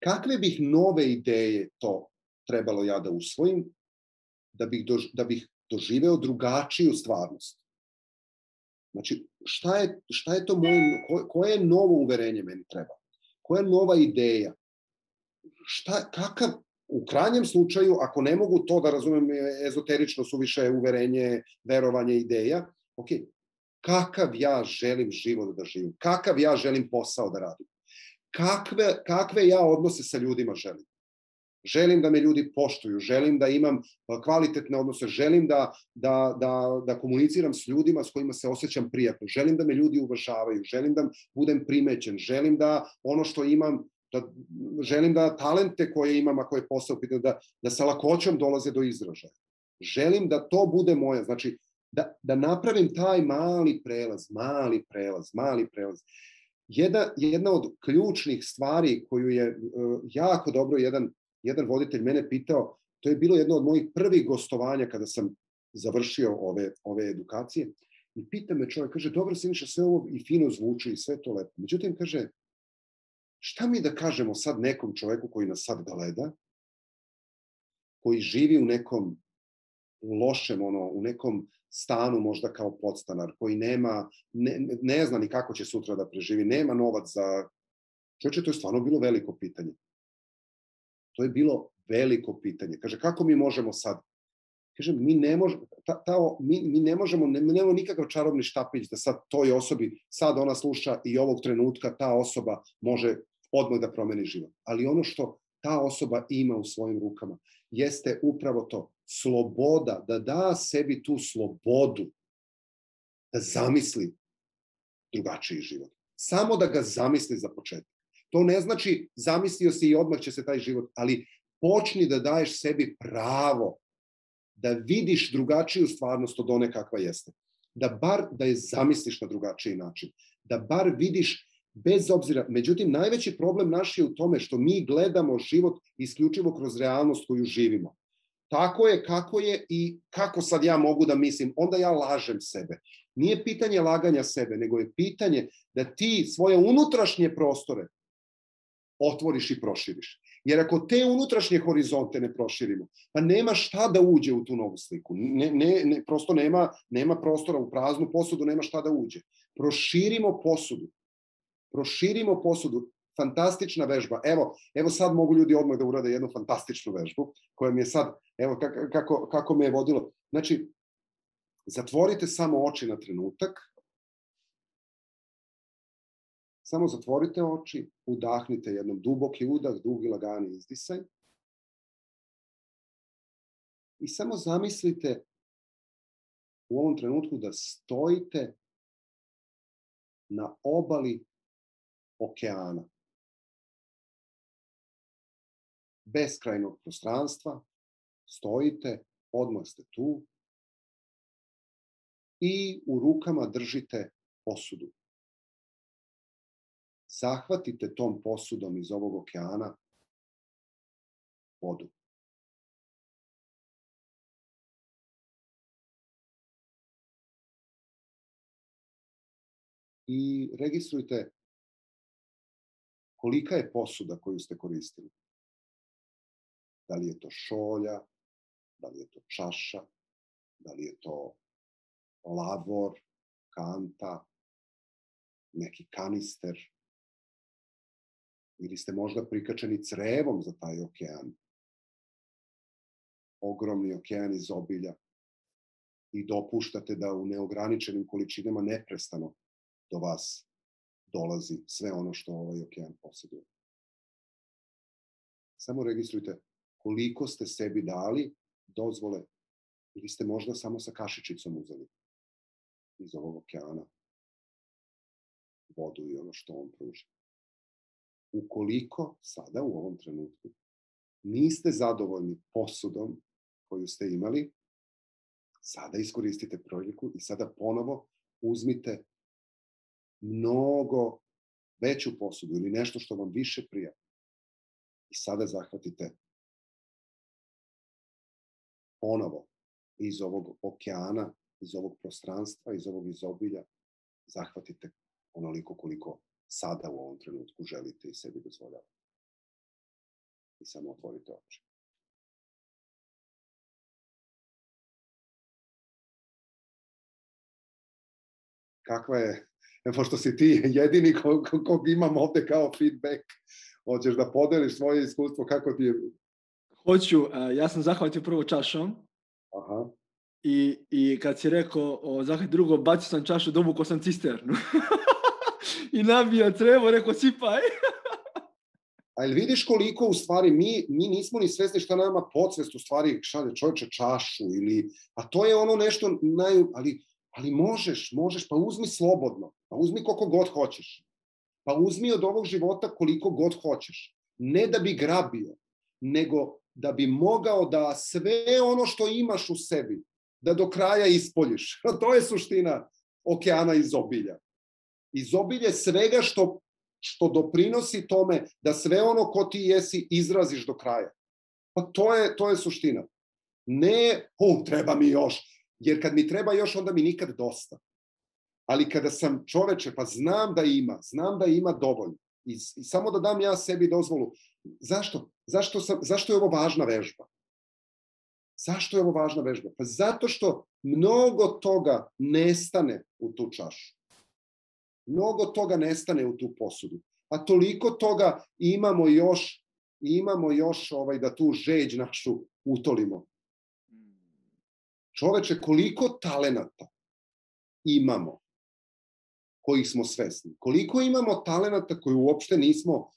Kakve bih nove ideje to trebalo ja da usvojim, da bih doživeo drugačiju stvarnost? Znači, šta je to moje, koje novo uverenje meni treba? Koja nova ideja? Kakav, u krajnjem slučaju, ako ne mogu to da razumem ezoterično suviše uverenje, verovanje, ideja, ok, kakav ja želim život da živim? Kakav ja želim posao da radim? Kakve ja odnose sa ljudima želim? Želim da me ljudi poštuju, želim da imam kvalitetne odnose, želim da komuniciram s ljudima s kojima se osjećam prijatno, želim da me ljudi uvažavaju, želim da budem primećen, želim da ono što imam, želim da talente koje imam, ako je posao, da sa lakoćom dolaze do izražaja. Želim da to bude moje, znači da napravim taj mali prelaz. Jedna od ključnih stvari koju je jako dobro jedan voditelj mene pitao, to je bilo jedno od mojih prvih gostovanja kada sam završio ove edukacije, i pita me čovjek, kaže, dobro Siniša, sve ovo i fino zvuči i sve to lepo. Međutim, kaže, šta mi da kažemo sad nekom čovjeku koji nas sad gleda, koji živi u nekom lošem, u nekom stanu možda kao podstanar, koji ne zna ni kako će sutra da preživi, nema novac za... Čovječe, to je stvarno bilo veliko pitanje. To je bilo veliko pitanje. Kaže, kako mi možemo sad? Kaže, mi ne možemo, nemamo nikakav čarobni štapić da sad toj osobi, sad ona sluša i ovog trenutka ta osoba može odmah da promeni život. Ali ono što ta osoba ima u svojim rukama jeste upravo to, sloboda, da da sebi tu slobodu da zamisli drugačiji život. Samo da ga zamisli za početak. To ne znači zamislio si i odmah će se taj život, ali počni da daješ sebi pravo da vidiš drugačiju stvarnost od one kakva jeste. Da je zamisliš na drugačiji način. Da bar vidiš bez obzira. Međutim, najveći problem naš je u tome što mi gledamo život isključivo kroz realnost koju živimo. tako je kako je i kako sad ja mogu da mislim, onda ja lažem sebe. Nije pitanje laganja sebe, nego je pitanje da ti svoje unutrašnje prostore otvoriš i proširiš. Jer ako te unutrašnje horizonte ne proširimo, pa nema šta da uđe u tu novu sliku. Prosto nema prostora u praznu posudu, nema šta da uđe. Proširimo posudu. Proširimo posudu. Fantastična vežba. Evo sad mogu ljudi odmah da urade jednu fantastičnu vežbu, koja mi je sad, evo kako me je vodilo. Znači, zatvorite samo oči na trenutak. Samo zatvorite oči, udahnite jednom duboki udah, dugi lagani izdisaj. I samo zamislite u ovom trenutku da stojite na obali okeana. Beskrajnog prostranstva, stojite, odmah ste tu i u rukama držite posudu. Zahvatite tom posudom iz ovog okeana vodu. I registrujte kolika je posuda koju ste koristili. Da li je to šolja, da li je to čaša, da li je to lavor, kanta, neki kanister, ili ste možda prikačeni crevom za taj okean. Ogromni okean iz obilja i dopuštate da u neograničenim količinama neprestano do vas dolazi sve ono što ovaj okean posjeduje. Samo registrujte koliko ste sebi dali dozvole ili ste možda samo sa kašičicom uzeli iz ovog okeana vodu i ono što on pruža. Ukoliko sada u ovom trenutku niste zadovoljni posudom koju ste imali, sada iskoristite priliku i sada ponovo uzmite mnogo veću posudu ili nešto što vam više prija. I sada zahvatite ponovo iz ovog okeana, iz ovog prostranstva, iz ovog izobilja, zahvatite onoliko koliko sada u ovom trenutku želite i sebi dozvoljavate. I samo otvorite oči. Kakva je, pošto si ti jedini kog imam ovde kao feedback, hoćeš da podeliš svoje iskustvo, kako ti je? Hoću, ja sam zahvatio prvo čašom. Aha. I kad si rekao zahvati drugo, bacio sam čašu, dovukao sam cisternu. I nabio crevo, rekao sipaj. A jel vidiš koliko u stvari mi nismo ni svesni šta nama podsvest u stvari šalje čovječe čašu ili, a to je ono nešto ali možeš, pa uzmi slobodno, pa uzmi koliko god hoćeš, pa uzmi od ovog života koliko god hoćeš, ne da bi grabio, nego da bi mogao da sve ono što imaš u sebi, da do kraja ispoljiš. To je suština okeana izobilja. Izobilje svega što doprinosi tome da sve ono ko ti jesi izraziš do kraja. Pa to je suština. Ne, treba mi još, jer kad mi treba još, onda mi nikad dosta. Ali kada sam čoveče, pa znam da ima dovoljno. I samo da dam ja sebi dozvolu. Zašto? Zašto je ovo važna vežba? Zašto je ovo važna vežba? Pa zato što mnogo toga nestane u tu čašu. Mnogo toga nestane u tu posudu. A toliko toga imamo još da tu žeđ našu utolimo. Čoveče, koliko talenata imamo kojih smo svesni? Koliko imamo talenata koje uopšte nismo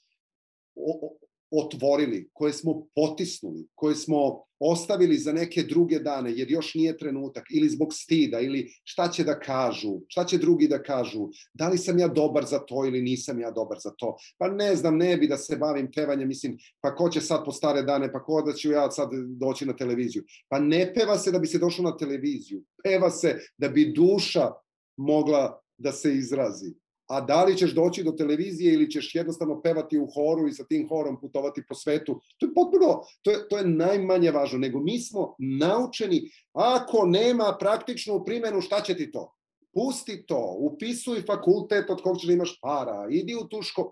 otvorili, koje smo potisnuli, koje smo ostavili za neke druge dane, jer još nije trenutak, ili zbog stida, ili šta će da kažu, šta će drugi da kažu, da li sam ja dobar za to ili nisam ja dobar za to, pa ne znam, ne bi da se bavim pevanjem, mislim, pa ko će sad po stare dane, pa ko da ću ja sad doći na televiziju, pa ne peva se da bi se došlo na televiziju, peva se da bi duša mogla da se izrazi, a da li ćeš doći do televizije ili ćeš jednostavno pevati u horu i sa tim horom putovati po svetu, to je potpuno, to je najmanje važno, nego mi smo naučeni, ako nema praktičnu primjenu, šta će ti to? Pusti to, upisuj fakultet od kog ćeš da imaš para, idi u tu školu.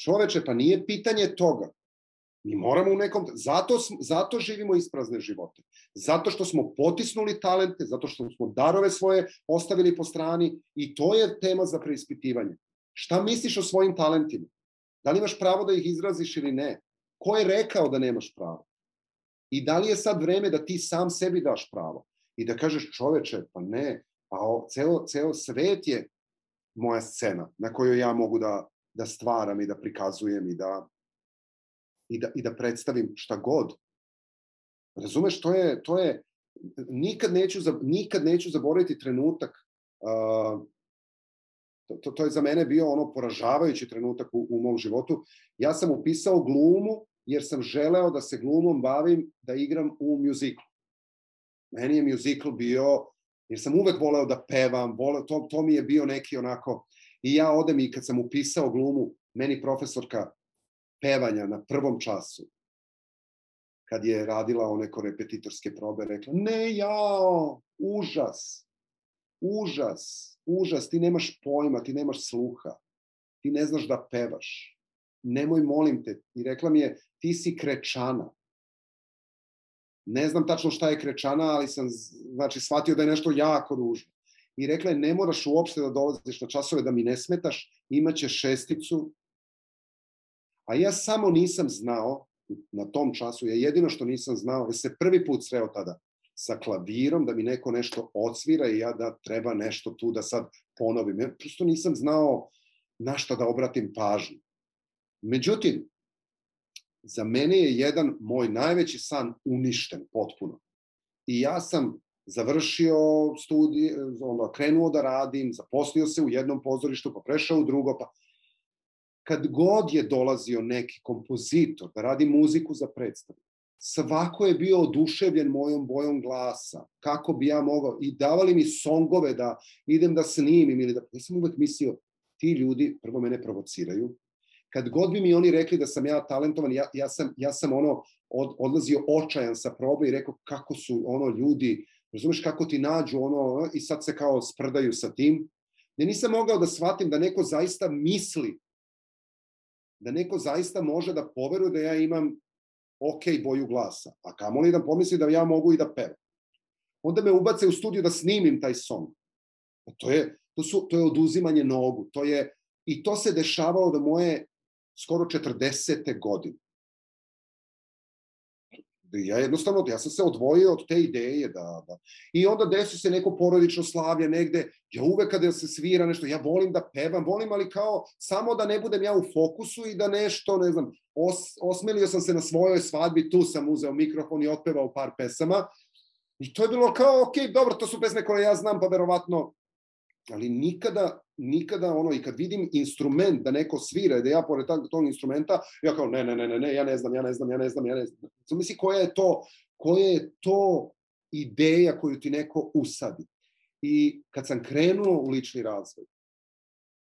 Čoveče, pa nije pitanje toga. Mi moramo u nekom... Zato živimo isprazne živote. Zato što smo potisnuli talente, zato što smo darove svoje ostavili po strani i to je tema za preispitivanje. Šta misliš o svojim talentima? Da li imaš pravo da ih izraziš ili ne? Ko je rekao da nemaš pravo? I da li je sad vreme da ti sam sebi daš pravo? I da kažeš, čoveče, pa ne, pa ceo svet je moja scena na kojoj ja mogu da stvaram i da prikazujem i da predstavim šta god. Razumeš, to je nikad neću zaboraviti trenutak. To je za mene bio ono poražavajući trenutak u mom životu. Ja sam upisao glumu jer sam želeo da se glumom bavim, da igram u mjuziklu. Meni je mjuzikl bio, jer sam uvek voleo da pevam, to mi je bio neki onako. I ja odem i kad sam upisao glumu, meni profesorka pevanja na prvom času, kad je radila one korepetitorske probe, rekla, ne, jao, užas, ti nemaš pojma, ti nemaš sluha, ti ne znaš da pevaš, nemoj, molim te. I rekla mi je, ti si krečana. Ne znam tačno šta je krečana, ali sam shvatio da je nešto jako ružno. I rekla je, ne moraš uopšte da dolaziš na časove, da mi ne smetaš, imaćeš 6. A ja samo nisam znao, na tom času, ja jedino što nisam znao, jer se prvi put sreo tada sa klavirom, da mi neko nešto odsvira i ja da treba nešto tu da sad ponovim. Ja prosto nisam znao na šta da obratim pažnju. Međutim, za mene je jedan moj najveći san uništen potpuno. I ja sam završio studije, krenuo da radim, zaposlio se u jednom pozorištu, pa prešao u drugo, pa kad god je dolazio neki kompozitor da radi muziku za predstavu, svako je bio oduševljen mojom bojom glasa, kako bi ja mogao, i davali mi songove da idem da snimim ili da... Ja sam uvek mislio, ti ljudi prvo mene provociraju. Kad god bi mi oni rekli da sam ja talentovan, ja sam odlazio očajan sa probe i rekao kako su ljudi, razumeš, kako ti nađu i sad se kao sprdaju sa tim. Ja nisam mogao da shvatim da neko zaista misli, da neko zaista može da poveruje da ja imam boju glasa, a kamoli da pomisli da ja mogu i da pevam. Onda me ubace u studiju da snimim taj song. To je oduzimanje nogu. I to se dešavalo do moje skoro 40. godine. Ja sam se odvojio od te ideje i onda desi se neko porodično slavlje negde, ja uvek kada se svira nešto, ja volim da pevam, ali kao samo da ne budem ja u fokusu i da nešto, ne znam, osmelio sam se na svojoj svadbi, tu sam uzeo mikrofon i otpevao par pesama i to je bilo kao, ok, dobro, to su pesme koje ja znam, pa verovatno, ali nikada i kad vidim instrument da neko svira i da ja pored tog instrumenta, ja kao ne, ja ne znam. Misli, koja je to ideja koju ti neko usadi. I kad sam krenuo u lični razvoj,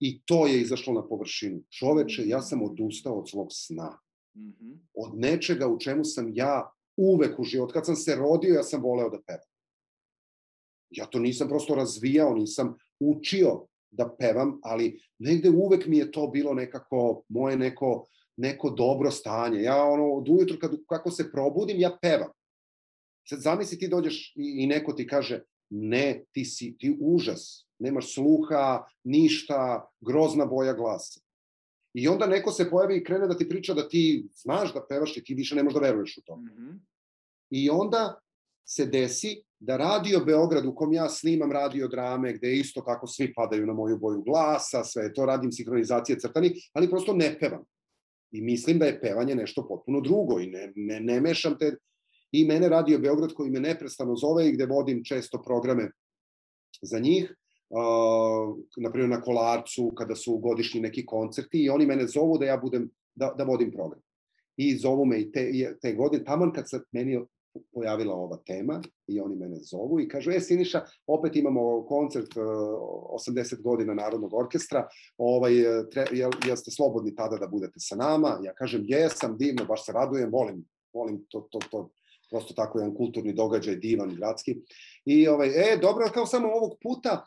i to je izašlo na površinu, čoveče, ja sam odustao od svog sna. Od nečega u čemu sam ja uvek u životu. Kad sam se rodio, ja sam voleo da pevam. Ja to nisam prosto razvijao, nisam učio da pevam, ali negde uvek mi je to bilo nekako moje neko dobro stanje. Ja od ujutru kako se probudim, ja pevam. Sad zamisli ti dođeš i neko ti kaže ne, ti užas, nemaš sluha, ništa, grozna boja glasa. I onda neko se pojavi i krene da ti priča da ti znaš da pevaš i ti više ne možeš da veruješ u to. I onda se desi da Radio Beograd, u kom ja snimam radio drame, gde isto tako svi padaju na moju boju glasa, sve to, radim sinhronizacije crtani, ali prosto ne pevam. I mislim da je pevanje nešto potpuno drugo i ne mešam te... I mene Radio Beograd, koji me neprestano zove i gde vodim često programe za njih, naprimjer na Kolarcu, kada su godišnji neki koncerti, i oni mene zovu da ja budem, da vodim program. I zovu me i te godine, taman kad se meni pojavila ova tema i oni mene zovu i kažu, Siniša, opet imamo koncert 80 godina Narodnog orkestra, jel ste slobodni tada da budete sa nama? Ja kažem, jesam, divno, baš se radujem, volim to, prosto tako jedan kulturni događaj, divan, gradski. I dobro, kao samo ovog puta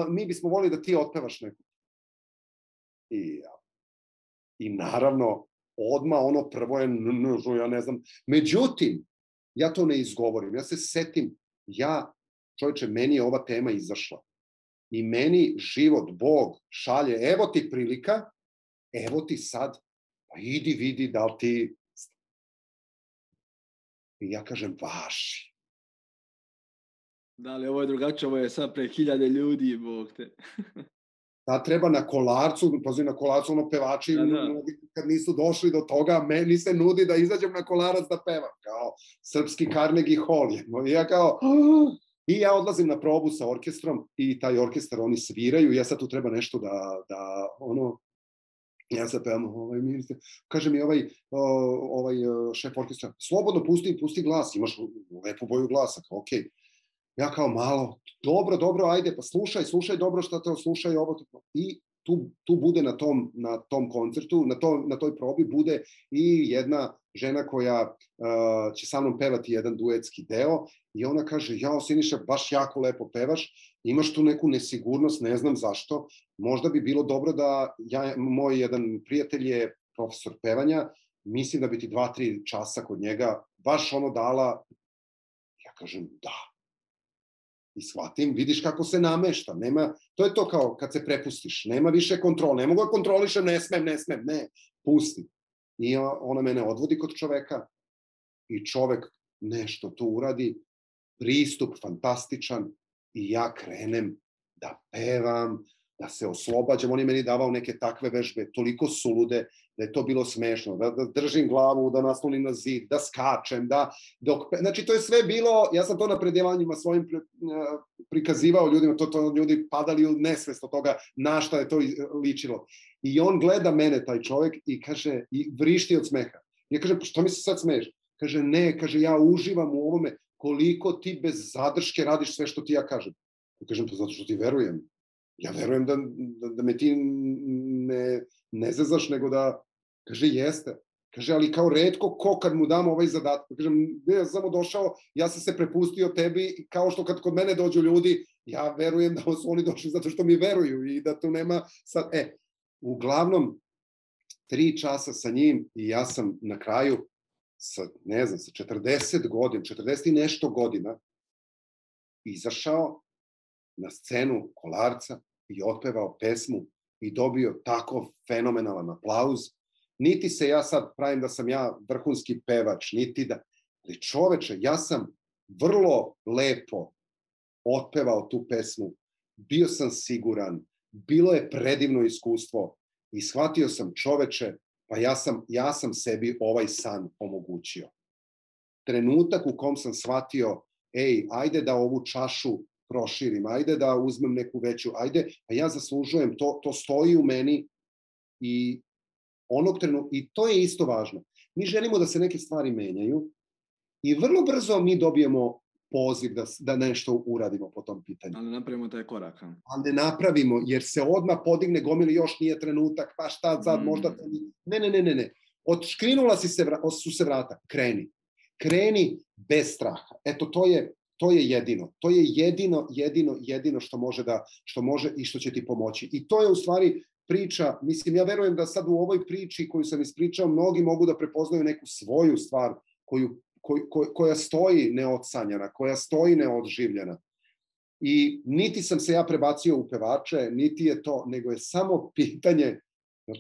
mi bismo volili da ti otpevaš neku. I naravno, odmah ono prvo je, ja ne znam, međutim, ja to ne izgovorim, ja se setim, čovječe, meni je ova tema izašla i meni život, Bog šalje, evo ti prilika, evo ti sad, pa idi vidi da li ti... I ja kažem, vaši. Da li ovo je drugačije, ovo je sad pre 1000 ljudi, Bog te. Da treba na Kolarcu, pazi na Kolarcu, ono pevači, kad nisu došli do toga, meni se nudi da izađem na Kolarac da pevam, kao srpski Carnegie Hall. I ja odlazim na probu sa orkestrom i taj orkestar, oni sviraju, ja sad tu treba nešto da ja sad pevam, kaže mi ovaj šef orkestra, slobodno pusti glas, imaš lepu boju glasa, kao okej. Ja kao malo, dobro, ajde, pa slušaj dobro šta te slušaj ovo. I tu bude na tom koncertu, na toj probi bude i jedna žena koja će sa mnom pevati jedan duetski deo i ona kaže, Siniša, baš jako lepo pevaš, imaš tu neku nesigurnost, ne znam zašto, možda bi bilo dobro da, moj jedan prijatelj je profesor pevanja, mislim da bi ti 2-3 časa kod njega baš ono dala, ja kažem da. I shvatim, vidiš kako se namešta, to je to kao kad se prepustiš, nema više kontrole, ne mogu da kontrolišem, ne smem, ne, pusti. I ona mene odvodi kod čoveka i čovek nešto tu uradi, pristup fantastičan i ja krenem da pevam, da se oslobađam, on je meni davao neke takve vežbe, toliko sulude, da je to bilo smešno, da držim glavu, da naslonim na zid, da skačem, znači to je sve bilo, ja sam to na predevanjima svojim prikazivao ljudima, to ljudi padali u nesvest od toga na šta je to ličilo. I on gleda mene, taj čovjek, i kaže, i vrišti od smeha. Ja kažem, što mi se sad smeješ? Kaže, ne, kaže, ja uživam u ovome, koliko ti bez zadrške radiš sve što ti ja kažem. Ja kažem, to zato što ti verujem. Ja verujem da me ti ne zezaš, nego da, kaže, jeste. Kaže, ali kao retko ko kad mu dam ovaj zadatak. Kažem, ja sam samo došao, ja sam se prepustio tebi, kao što kad kod mene dođu ljudi, ja verujem da su oni došli zato što mi veruju i da tu nema sad, uglavnom, 3 časa sa njim i ja sam na kraju, sa 40 godina, 40 i nešto godina, izašao na scenu Kolarca i otpevao pesmu i dobio tako fenomenalan aplauz. Niti se ja sad pravim da sam ja vrhunski pevač, niti da... Ali čoveče, ja sam vrlo lepo otpevao tu pesmu, bio sam siguran, bilo je predivno iskustvo i shvatio sam, čoveče, pa ja sam sebi ovaj san omogućio. Trenutak u kom sam shvatio, ajde da ovu čašu proširim, ajde da uzmem neku veću, ajde, a ja zaslužujem, to stoji u meni i onog trenutka, i to je isto važno. Mi želimo da se neke stvari menjaju i vrlo brzo mi dobijemo poziv da nešto uradimo po tom pitanju. Ali ne napravimo taj korak. Ali ne napravimo, jer se odmah podigne gomili, još nije trenutak, pa šta sad, možda... Ne. Odškrinula su se vrata, kreni. Kreni bez straha. Eto, to je jedino. To je jedino što može i što će ti pomoći. I to je u stvari priča, mislim, ja verujem da sad u ovoj priči koju sam ispričao, mnogi mogu da prepoznaju neku svoju stvar koja stoji neodsanjana, koja stoji neodživljena. I niti sam se ja prebacio u pevače, niti je to, nego je samo pitanje,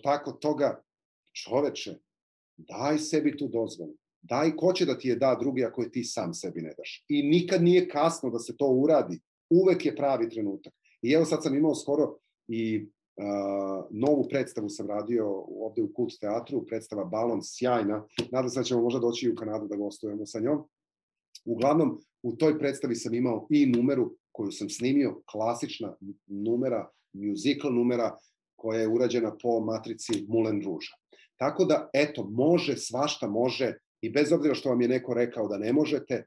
tako toga, čoveče, daj sebi tu dozvolu. Daj, ko će da ti je da drugi ako je ti sam sebi ne daš. I nikad nije kasno da se to uradi. Uvek je pravi trenutak. I evo sad sam imao skoro i novu predstavu sam radio ovde u Kult teatru, predstava Balon, sjajna. Nadam se da ćemo možda doći i u Kanadu da gostujemo sa njom. Uglavnom, u toj predstavi sam imao i numeru koju sam snimio, klasična numera, musical numera, koja je urađena po matrici Moulin Rouge. Tako da, eto, može, svašta može, I bez obzira što vam je neko rekao da ne možete,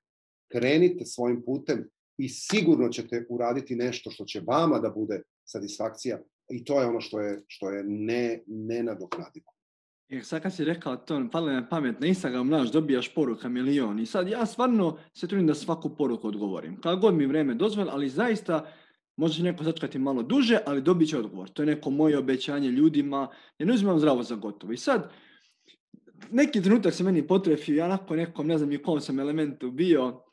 krenite svojim putem i sigurno ćete uraditi nešto što će vama da bude satisfakcija i to je ono što je nenadoknadivo. Jer sad kad si rekao to, palo mi na pamet, na Instagram naš dobijaš poruka milion i sad ja stvarno se trudim da svaku poruku odgovorim. Kako god mi vreme dozvoli, ali zaista može neko začekati malo duže, ali dobit će odgovor. To je neko moje obećanje ljudima, jer ne uzimam zdravo za gotovo. I sad, neki trenutak se meni potrefio, ja nakon nekom, ne znam ni u kom sam elementu bio,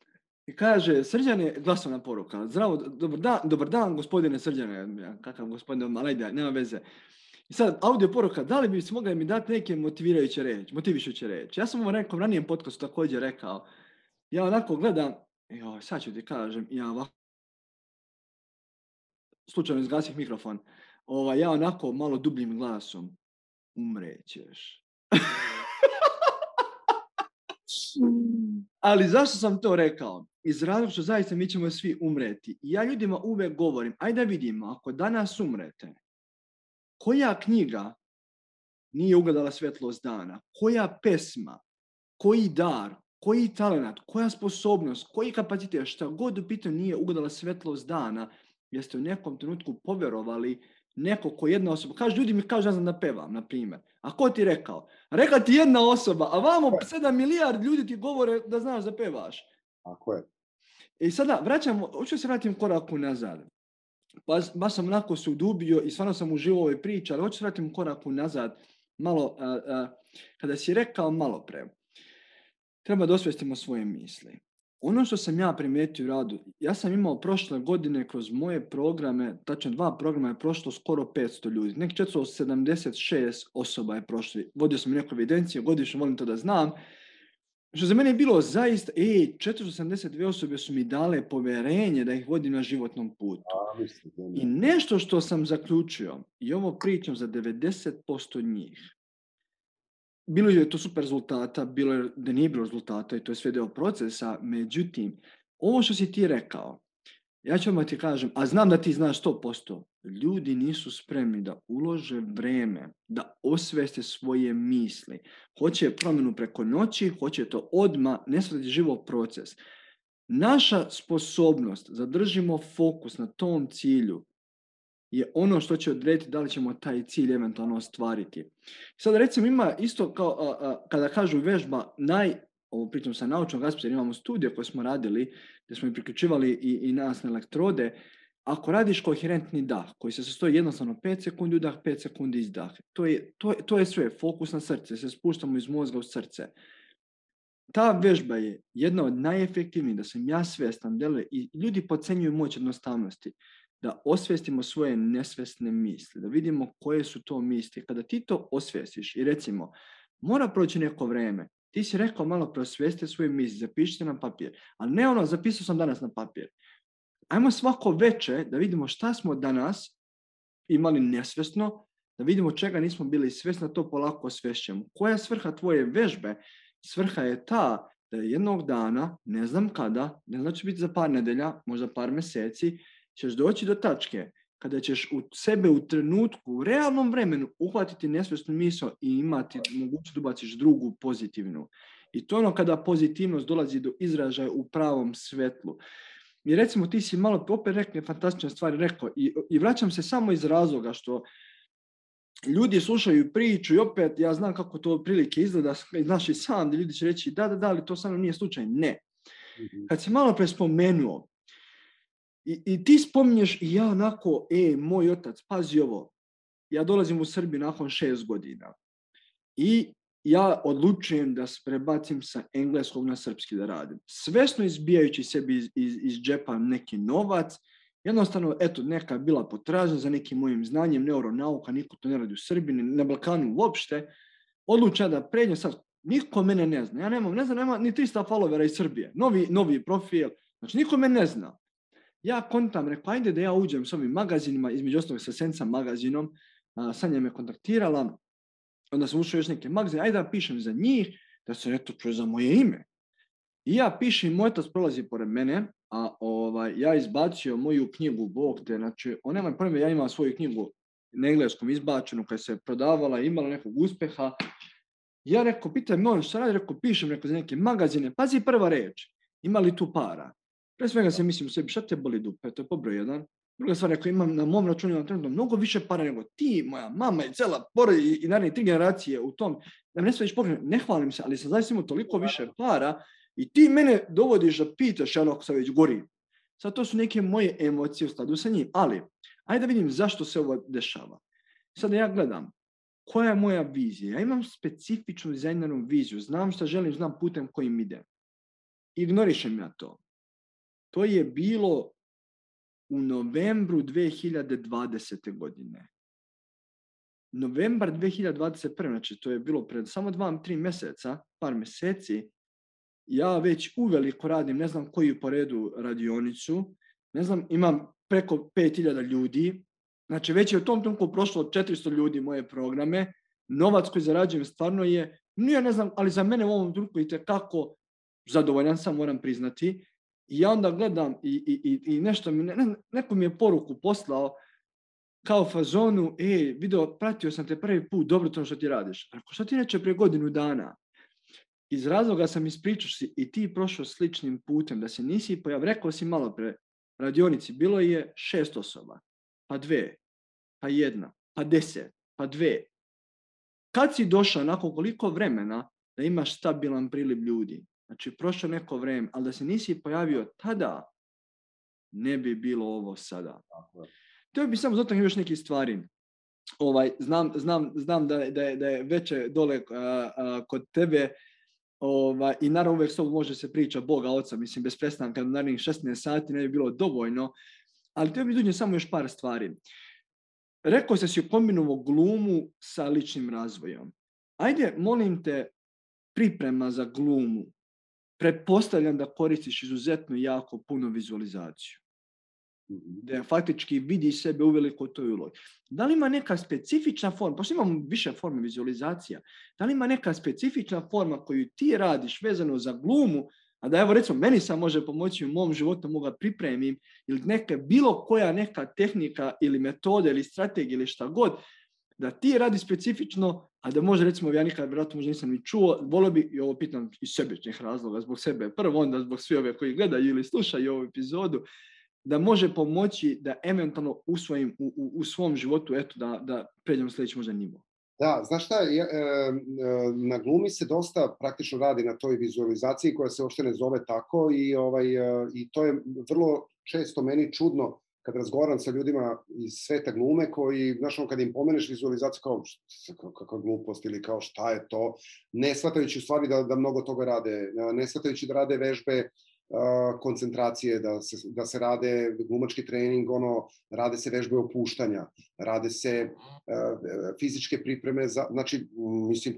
i kaže, Srđane, glasovna poruka, zdravo, dobar dan, gospodine Srđane, kakav gospodin, ali ajde, nema veze. I sad, audio poruka, da li bi se mogli mi dati neke motivišuće reći? Ja sam u nekom ranijem podcastu također rekao, ja onako gledam, sad ću ti kažem, ja ovako, slučajno izgasih mikrofon, ja onako malo dubljim glasom, umrećeš. Ali zašto sam to rekao? Iz razloga što zaista mi ćemo svi umreti. I ja ljudima uvek govorim, ajde da vidimo, ako danas umrete, koja knjiga nije ugledala svjetlost dana? Koja pesma? Koji dar? Koji talent? Koja sposobnost? Koji kapacitet? Šta god u pitanju nije ugledala svjetlost dana, jer ste u nekom trenutku povjerovali neko ko jedna osoba. Ljudi mi kažu, ne znam da pevam, na primjer. A ko ti rekao? Rekla ti jedna osoba, a vamo 7 milijardi ljudi ti govore da znaš da pevaš. Tako je. I sada hoću se vratim koraku nazad. Baš sam onako se udubio i stvarno sam uživao u ovoj priči, ali hoću se vratim koraku nazad. Malo, kada si rekao malo pre, treba da osvestimo svoje misli. Ono što sam ja primijetio u radu, ja sam imao prošle godine kroz moje programe, tačno 2 programa je prošlo skoro 500 ljudi. Nek 476 osoba je prošlo. Vodio sam neku evidenciju, godišnje volim to da znam. Što za mene je bilo zaista, 472 osobe su mi dale povjerenje da ih vodim na životnom putu. I nešto što sam zaključio, i ovo pričam za 90% njih, bilo je to super rezultata, bilo je da nije bilo rezultata i to je sve deo procesa, međutim, ovo što si ti rekao, ja ću vam ti kažem, a znam da ti znaš 100%, ljudi nisu spremni da ulože vreme, da osveste svoje misli. Hoće promjenu preko noći, hoće to odmah, ne shvatiti život proces. Naša sposobnost, zadržimo fokus na tom cilju, je ono što će odrediti da li ćemo taj cilj eventualno ostvariti. Sad recimo ima isto kao kada kažu vežba, ovo pričam sa naučnog aspekta, jer imamo studije koje smo radili, gdje smo i priključivali i nas na elektrode. Ako radiš koherentni dah, koji se sastoji jednostavno 5 sekundi udah, 5 sekundi izdah, to je sve, fokus na srce, se spuštamo iz mozga u srce. Ta vežba je jedna od najefektivnijih, da sam ja svjestan, i ljudi podcenjuju moć jednostavnosti, da osvijestimo svoje nesvjesne misli, da vidimo koje su to misli. Kada ti to osvijestiš i recimo, mora proći neko vreme, ti si rekao malo prosvijesti svoje misli, zapišite na papir, ali ne zapisao sam danas na papir. Ajmo svako veče da vidimo šta smo danas imali nesvjesno, da vidimo čega nismo bili svjesni, da to polako osvješćujemo. Koja je svrha tvoje vežbe? Svrha je ta da jednog dana, ne znam kada, ne znam da će biti za par nedelja, možda par mjeseci, ćeš doći do tačke kada ćeš u sebe u trenutku, u realnom vremenu uhvatiti nesvjesnu misao i imati mogućnost da ubaciš drugu pozitivnu. I to je ono kada pozitivnost dolazi do izražaja u pravom svetlu. I recimo ti si malo opet rekli fantastične stvari rekao i vraćam se samo iz razloga što ljudi slušaju priču i opet ja znam kako to prilike izgleda, znaš i sam, gdje ljudi će reći da, ali to samo nije slučaj. Ne. Kad si malo pre spomenuo, I ti spominješ i ja onako, moj otac, pazi ovo, ja dolazim u Srbiju nakon 6 godina i ja odlučujem da se prebacim sa engleskog na srpski da radim. Svesno izbijajući sebi iz džepa neki novac, jednostavno, neka je bila potražnja za nekim mojim znanjem, neuronauka, niko to ne radi u Srbiji, na Balkanu uopšte, odlučujem da pređem sad, niko mene ne zna, nema ni 300 followera iz Srbije, novi profil, znači niko mene ne zna. Ja kontam, rekao, ajde da ja uđem s ovim magazinima, između ostalog sa Sensa magazinom, Sanja me kontaktirala, onda sam ušao još neke magazine, ajde da pišem za njih, da se neto čuje za moje ime. I ja pišem, moj otac prolazi pored mene, a ja izbacio moju knjigu, Bog te, znači, on nema pojma, ja imam svoju knjigu na engleskom izbačenu, koja se prodavala, imala nekog uspeha, Ja rekao, pitaj me on šta radi, rekao, pišem za neke magazine. Pazi prva reč, ima li tu para? Pre svega se mislim u sebi, šta te boli dupe, to je po broj jedan. Druga stvar, rekao, imam na mom računu imam trenutno mnogo više para nego ti, moja mama i cela porodica i naravno 3 generacije u tom. Da me ne smiješ pogledati, ne hvalim se, ali sam zaista imao toliko više para i ti mene dovodiš da pitaš, ako sam već gorim. Sad to su neke moje emocije u skladu sa njim, ali ajde da vidim zašto se ovo dešava. Sada ja gledam, koja je moja vizija? Ja imam specifičnu dizajneru viziju, znam šta želim, znam putem kojim idem. Ignorišem ja to. To je bilo u novembru 2020. godine. Novembar 2021. Znači to je bilo pred samo 2-3 mjeseca, par mjeseci, ja već uveliko radim, ne znam koju po redu radionicu, ne znam, imam preko 5000 ljudi, znači već je u tom trenutku prošlo 400 ljudi moje programe, novac koji zarađujem stvarno je, ne znam, ali za mene u ovom trenutku itekako zadovoljan sam, moram priznati. I ja onda gledam i nešto neko mi je poruku poslao kao fazonu, video, pratio sam te prvi put, dobro to što ti radiš. Ako što ti neće prije godinu dana? Iz razloga sam ispričao si i ti prošao sličnim putem, da se nisi pojavio, rekao si malo pre radionici, bilo je 6 osoba, pa 2, pa 1, pa 10, pa 2. Kad si došao nakon koliko vremena da imaš stabilan priliv ljudi? Znači, prošlo neko vreme, ali da se nisi pojavio tada, ne bi bilo ovo sada. To bi samo zato još neke stvari. Znam da je veće dole kod tebe i naravno uvijek s tobom može se priča Boga Oca, mislim, bez prestanka, narednih 16 sati ne bi bilo dovoljno, ali to bi dužnje samo još par stvari. Rekao si kombinovao glumu sa ličnim razvojom. Ajde, molim te, priprema za glumu. Pretpostavljam da koristiš izuzetno jako puno vizualizaciju. Da faktički vidiš sebe uveliko u toj ulogi. Da li ima neka specifična forma, pošto imamo više forme vizualizacija, da li ima neka specifična forma koju ti radiš vezano za glumu, a da evo recimo meni sam može pomoći u mom životu, mogu pripremim, ili bilo koja neka tehnika ili metode ili strategija ili šta god, da ti radi specifično, a da može recimo ja nikad vjerojatno možda nisam ni čuo, volio bi, i ovo pitam iz sebičnih razloga, zbog sebe prvo, onda zbog svi ove koji gledaju ili slušaju ovu epizodu, da može pomoći da eventualno usvojim u svom životu, eto da pređemo sljedeći možda nivo. Da, znaš šta, na glumi se dosta praktično radi na toj vizualizaciji koja se uopšte ne zove tako i to je vrlo često meni čudno kad razgovaram sa ljudima iz sveta glume koji, znaš, kad im pomeneš vizualizaciju kao kakva glupost ili kao šta je to, ne shvatajući u stvari da mnogo toga rade, ne shvatajući da rade vežbe koncentracije, da se rade glumački trening, rade se vežbe opuštanja, rade se fizičke pripreme, znači, mislim,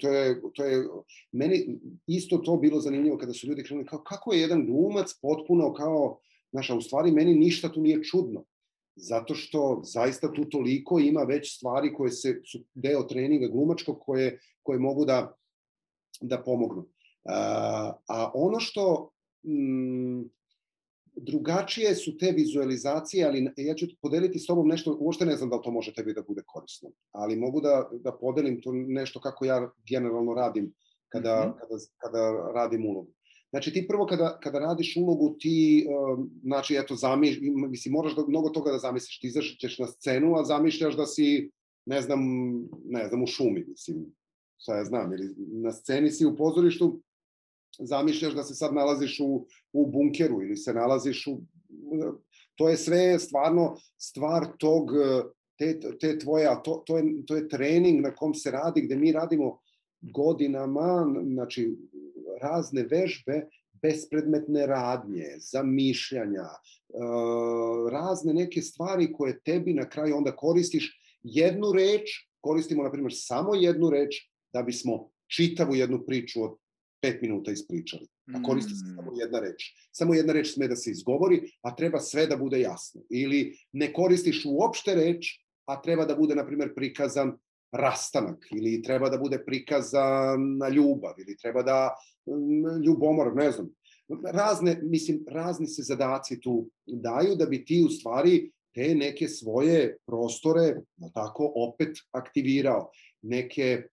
to je meni isto to bilo zanimljivo kada su ljudi krenuli kao kako je jedan glumac potpuno kao, znaš, a u stvari meni ništa tu nije čudno, zato što zaista tu toliko ima već stvari koje su deo treninga glumačkog koje mogu da pomognu. A ono što drugačije su te vizualizacije, ali ja ću podeliti s tobom nešto, uopšte ne znam da li to može tebi da bude korisno, ali mogu da podelim to nešto kako ja generalno radim kada radim ulogu. Znači ti prvo kada radiš ulogu ti, znači eto, mislim, moraš mnogo toga da zamisliš, ti izađeš na scenu, a zamišljaš da si, ne znam, u šumi, mislim, šta ja znam, ili na sceni si u pozorištu, zamišljaš da se sad nalaziš u bunkeru ili se nalaziš to je sve stvarno stvar te tvoje, a to je trening na kom se radi, gde mi radimo godinama, znači razne vežbe, bespredmetne radnje, zamišljanja, razne neke stvari koje tebi na kraju onda koristiš jednu reč, koristimo na primjer samo jednu reč da bismo čitavu jednu priču od 5 minuta ispričali, a koristi se samo jedna reč. Samo jedna reč sme da se izgovori, a treba sve da bude jasno. Ili ne koristiš uopšte reč, a treba da bude, na primjer, prikazan rastanak, ili treba da bude prikazana ljubav, ili treba da ljubomor, ne znam. Razni se zadaci tu daju da bi ti u stvari te neke svoje prostore, tako, opet aktivirao. Neke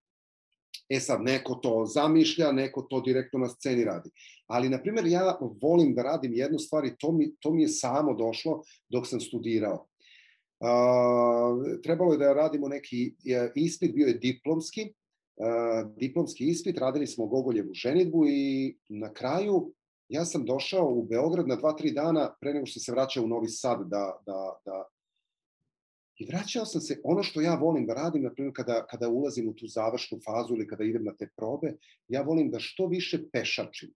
sad, neko to zamišlja, neko to direktno na sceni radi. Ali, na primjer, ja volim da radim jednu stvar i to mi je samo došlo dok sam studirao. Trebalo je da radimo neki ispit, bio je diplomski ispit, radili smo Gogoljevu ženidbu i na kraju ja sam došao u Beograd na 2-3 dana pre nego što se vraćao u Novi Sad i vraćao sam se, ono što ja volim da radim, na primjer kada ulazim u tu završnu fazu ili kada idem na te probe, ja volim da što više pešačim.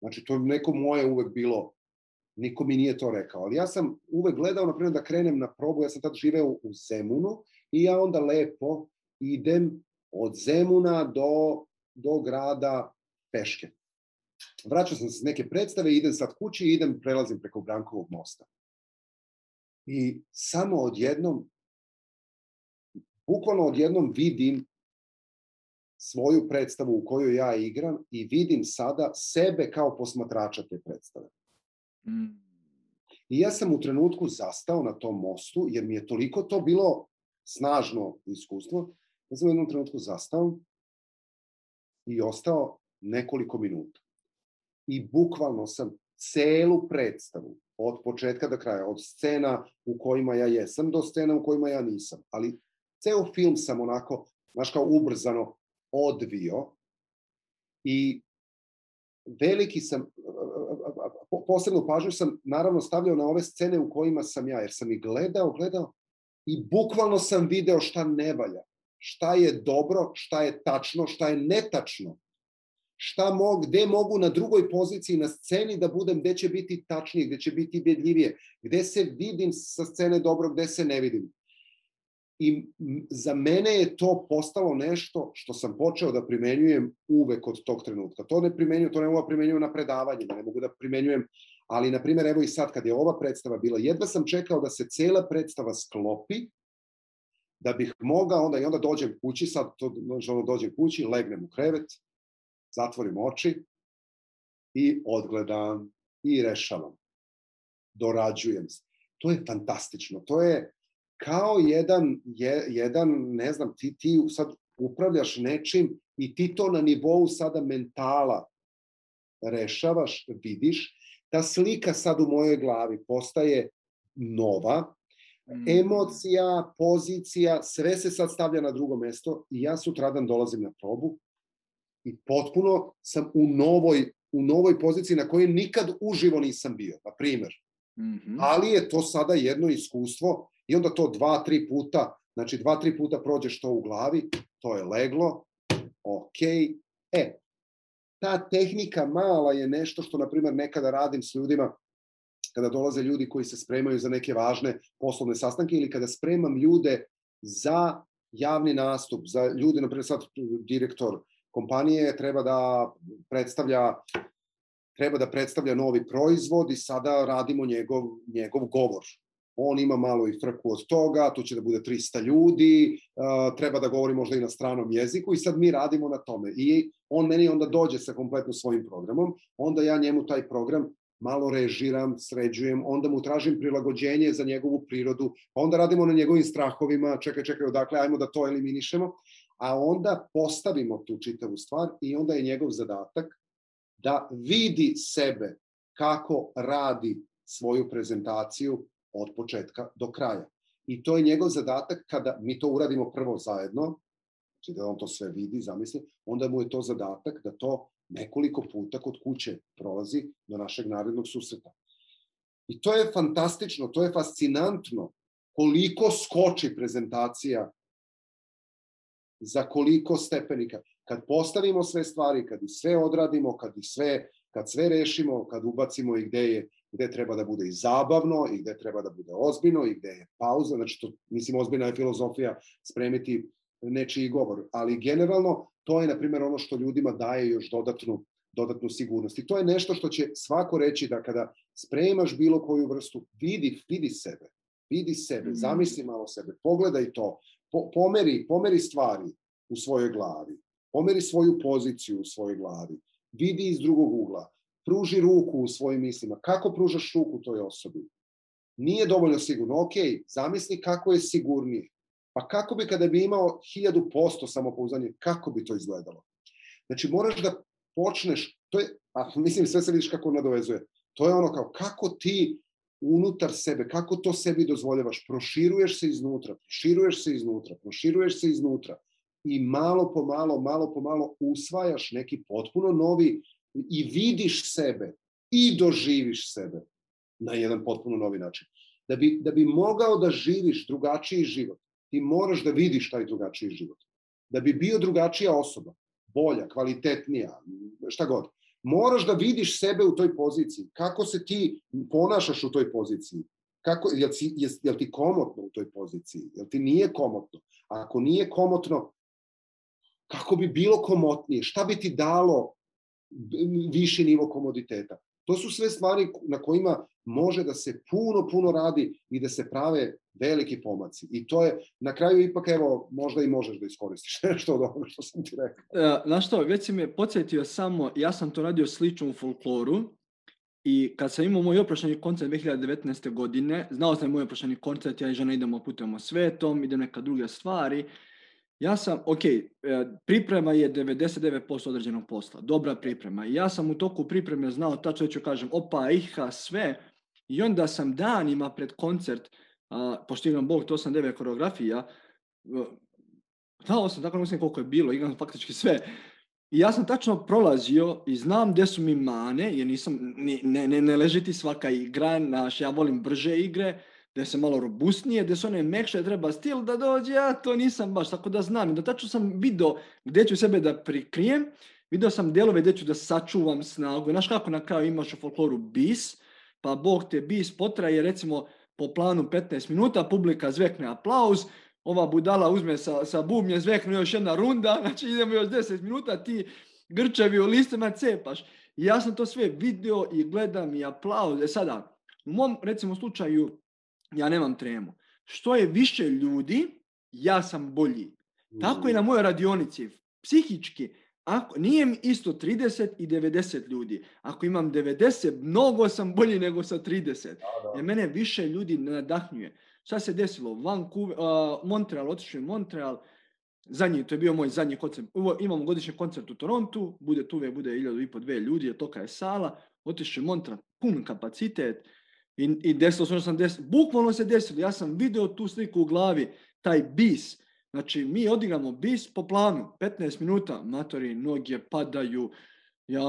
Znači, to je neko moje uvek bilo, niko mi nije to rekao, ali ja sam uvek gledao, na primjer, da krenem na probu, ja sam tad živeo u Zemunu i ja onda lepo idem od Zemuna do grada peške. Vraćao sam se s neke predstave, idem sad kući i prelazim preko Brankovog mosta. I samo bukvalno odjednom vidim svoju predstavu u kojoj ja igram i vidim sada sebe kao posmatrača te predstave. I ja sam u trenutku zastao na tom mostu, jer mi je toliko to bilo snažno iskustvo, ja sam u jednom trenutku zastao i ostao nekoliko minuta. I bukvalno sam celu predstavu, od početka do kraja, od scena u kojima ja jesam do scena u kojima ja nisam, ali ceo film sam onako, znaš, kao ubrzano odvio i veliki sam, posebnu pažnju sam naravno stavljao na ove scene u kojima sam ja, jer sam ih gledao i bukvalno sam video šta ne valja, šta je dobro, šta je tačno, šta je netačno, gde mogu na drugoj poziciji na sceni da budem, gde će biti tačnije, gde će biti ubedljivije, gde se vidim sa scene dobro, gde se ne vidim. I za mene je to postalo nešto što sam počeo da primenjujem uvek od tog trenutka. To ne mogu da primenjujem na predavanjima, ne mogu da primenjujem, ali, na primjer, evo i sad kad je ova predstava bila, jedva sam čekao da se cela predstava sklopi, da bih mogao, onda dođem kući, dođem kući, legnem u krevet, zatvorim oči i odgledam i rešavam. Dorađujem se. To je fantastično. To je kao jedan, ne znam, ti sad upravljaš nečim i ti to na nivou sada mentala rešavaš, vidiš. Ta slika sad u mojoj glavi postaje nova. Emocija, pozicija, sve se sad stavlja na drugo mesto i ja sutradan dolazim na probu i potpuno sam u novoj poziciji na kojoj nikad uživo nisam bio, na primer. Ali je to sada jedno iskustvo i onda to 2-3 puta, znači 2-3 puta prođeš to u glavi, to je leglo, okej. Ta tehnika mala je nešto što, na primer, nekada radim s ljudima, kada dolaze ljudi koji se spremaju za neke važne poslovne sastanke ili kada spremam ljude za javni nastup, za ljude, na primjer, sad direktor kompanije treba da predstavlja novi proizvod i sada radimo njegov govor. On ima malo i frku od toga, tu će da bude 300 ljudi, treba da govori možda i na stranom jeziku i sad mi radimo na tome. I on meni onda dođe sa kompletno svojim programom, onda ja njemu taj program malo režiram, sređujem, onda mu tražim prilagođenje za njegovu prirodu, pa onda radimo na njegovim strahovima, čekaj, odakle, ajmo da to eliminišemo, a onda postavimo tu čitavu stvar i onda je njegov zadatak da vidi sebe kako radi svoju prezentaciju od početka do kraja. I to je njegov zadatak kada mi to uradimo prvo zajedno, znači da on to sve vidi, zamisli, onda mu je to zadatak da to nekoliko puta kod kuće prolazi do našeg narednog susreta. I to je fantastično, to je fascinantno koliko skoči prezentacija za koliko stepenika. Kad postavimo sve stvari, kad ih sve odradimo, kad sve rešimo, kad ubacimo i gde treba da bude i zabavno, i gde treba da bude ozbiljno, i gde je pauza, znači to, mislim, ozbiljna je filozofija spremiti nečiji govor, ali generalno to je, na primjer, ono što ljudima daje još dodatnu sigurnost. I to je nešto što će svako reći da kada spremaš bilo koju vrstu, vidi sebe, zamisli malo sebe, pogledaj to, pomeri stvari u svojoj glavi, pomeri svoju poziciju u svojoj glavi, vidi iz drugog ugla, pruži ruku u svojim mislima. Kako pružaš ruku toj osobi? Nije dovoljno sigurno. Ok, zamisli kako je sigurnije. Pa kako bi kada bi imao 1000% samopouzdanje, kako bi to izgledalo? Znači, moraš da počneš, to je, mislim, sve se vidiš kako nadovezuje, to je ono kao, kako ti unutar sebe, kako to sebi dozvoljavaš, proširuješ se iznutra i malo po malo usvajaš neki potpuno novi i vidiš sebe i doživiš sebe na jedan potpuno novi način. Da bi mogao da živiš drugačiji život, ti moraš da vidiš taj drugačiji život. Da bi bio drugačija osoba, bolja, kvalitetnija, šta god, moraš da vidiš sebe u toj poziciji. Kako se ti ponašaš u toj poziciji? Jel ti komotno u toj poziciji? Jel ti nije komotno? A ako nije komotno, kako bi bilo komotnije? Šta bi ti dalo viši nivo komoditeta? To su sve stvari na kojima može da se puno radi i da se prave veliki pomaci. I to je, na kraju ipak, evo, možda i možeš da iskoristiš nešto od onoga što sam ti rekao. Znaš što, već si me podsjetio samo, ja sam to radio slično u folkloru i kad sam imao moj oprošćeni koncert 2019. godine, znao sam moj oprošćeni koncert, ja i žena idemo putujemo svetom, idem neka druge stvari. Ja sam, priprema je 99% određenog posla, dobra priprema. I ja sam u toku pripreme znao tačno ću kažem, sve. I onda sam danima pred koncert, pošto igram Bog, to sam 9 koreografija, znao sam, tako ne mislim koliko je bilo, igram faktički sve. I ja sam tačno prolazio i znam gdje su mi mane, jer nisam, ne leži ti svaka igra, ja volim brže igre, gdje se malo robustnije, gdje su one mekše, treba stil da dođe, ja to nisam baš, tako da znam. I da tačno sam vidio gdje ću sebe da prikrijem, vidio sam dijelove gdje ću da sačuvam snagu. Znaš kako na kraju imaš u folkloru bis, pa Bog te bis potraje, recimo po planu 15 minuta, publika zvekne aplauz, ova budala uzme sa bubnje, zvekne još jedna runda, znači idemo još 10 minuta, ti grčevi u listima cepaš. I ja sam to sve vidio i gledam i aplauz. Sada, u mom, recimo, slučaju, ja nemam tremu. Što je više ljudi, ja sam bolji. Tako i na mojoj radionici. Psihički, nije mi isto 30 i 90 ljudi. Ako imam 90, mnogo sam bolji nego sa 30. Jer mene više ljudi nadahnjuje. Šta se desilo? Montreal, otišao je Montreal. To je bio moj zadnji koncert. Imamo godišnji koncert u Torontu. Bude 1.500-2 ljudi, je toka je sala. Otišao je Montreal, pun kapacitet. I desilo se, bukvalno se desilo. Ja sam vidio tu sliku u glavi, taj bis. Znači, mi odigramo bis po planu, 15 minuta, matori, noge padaju, ja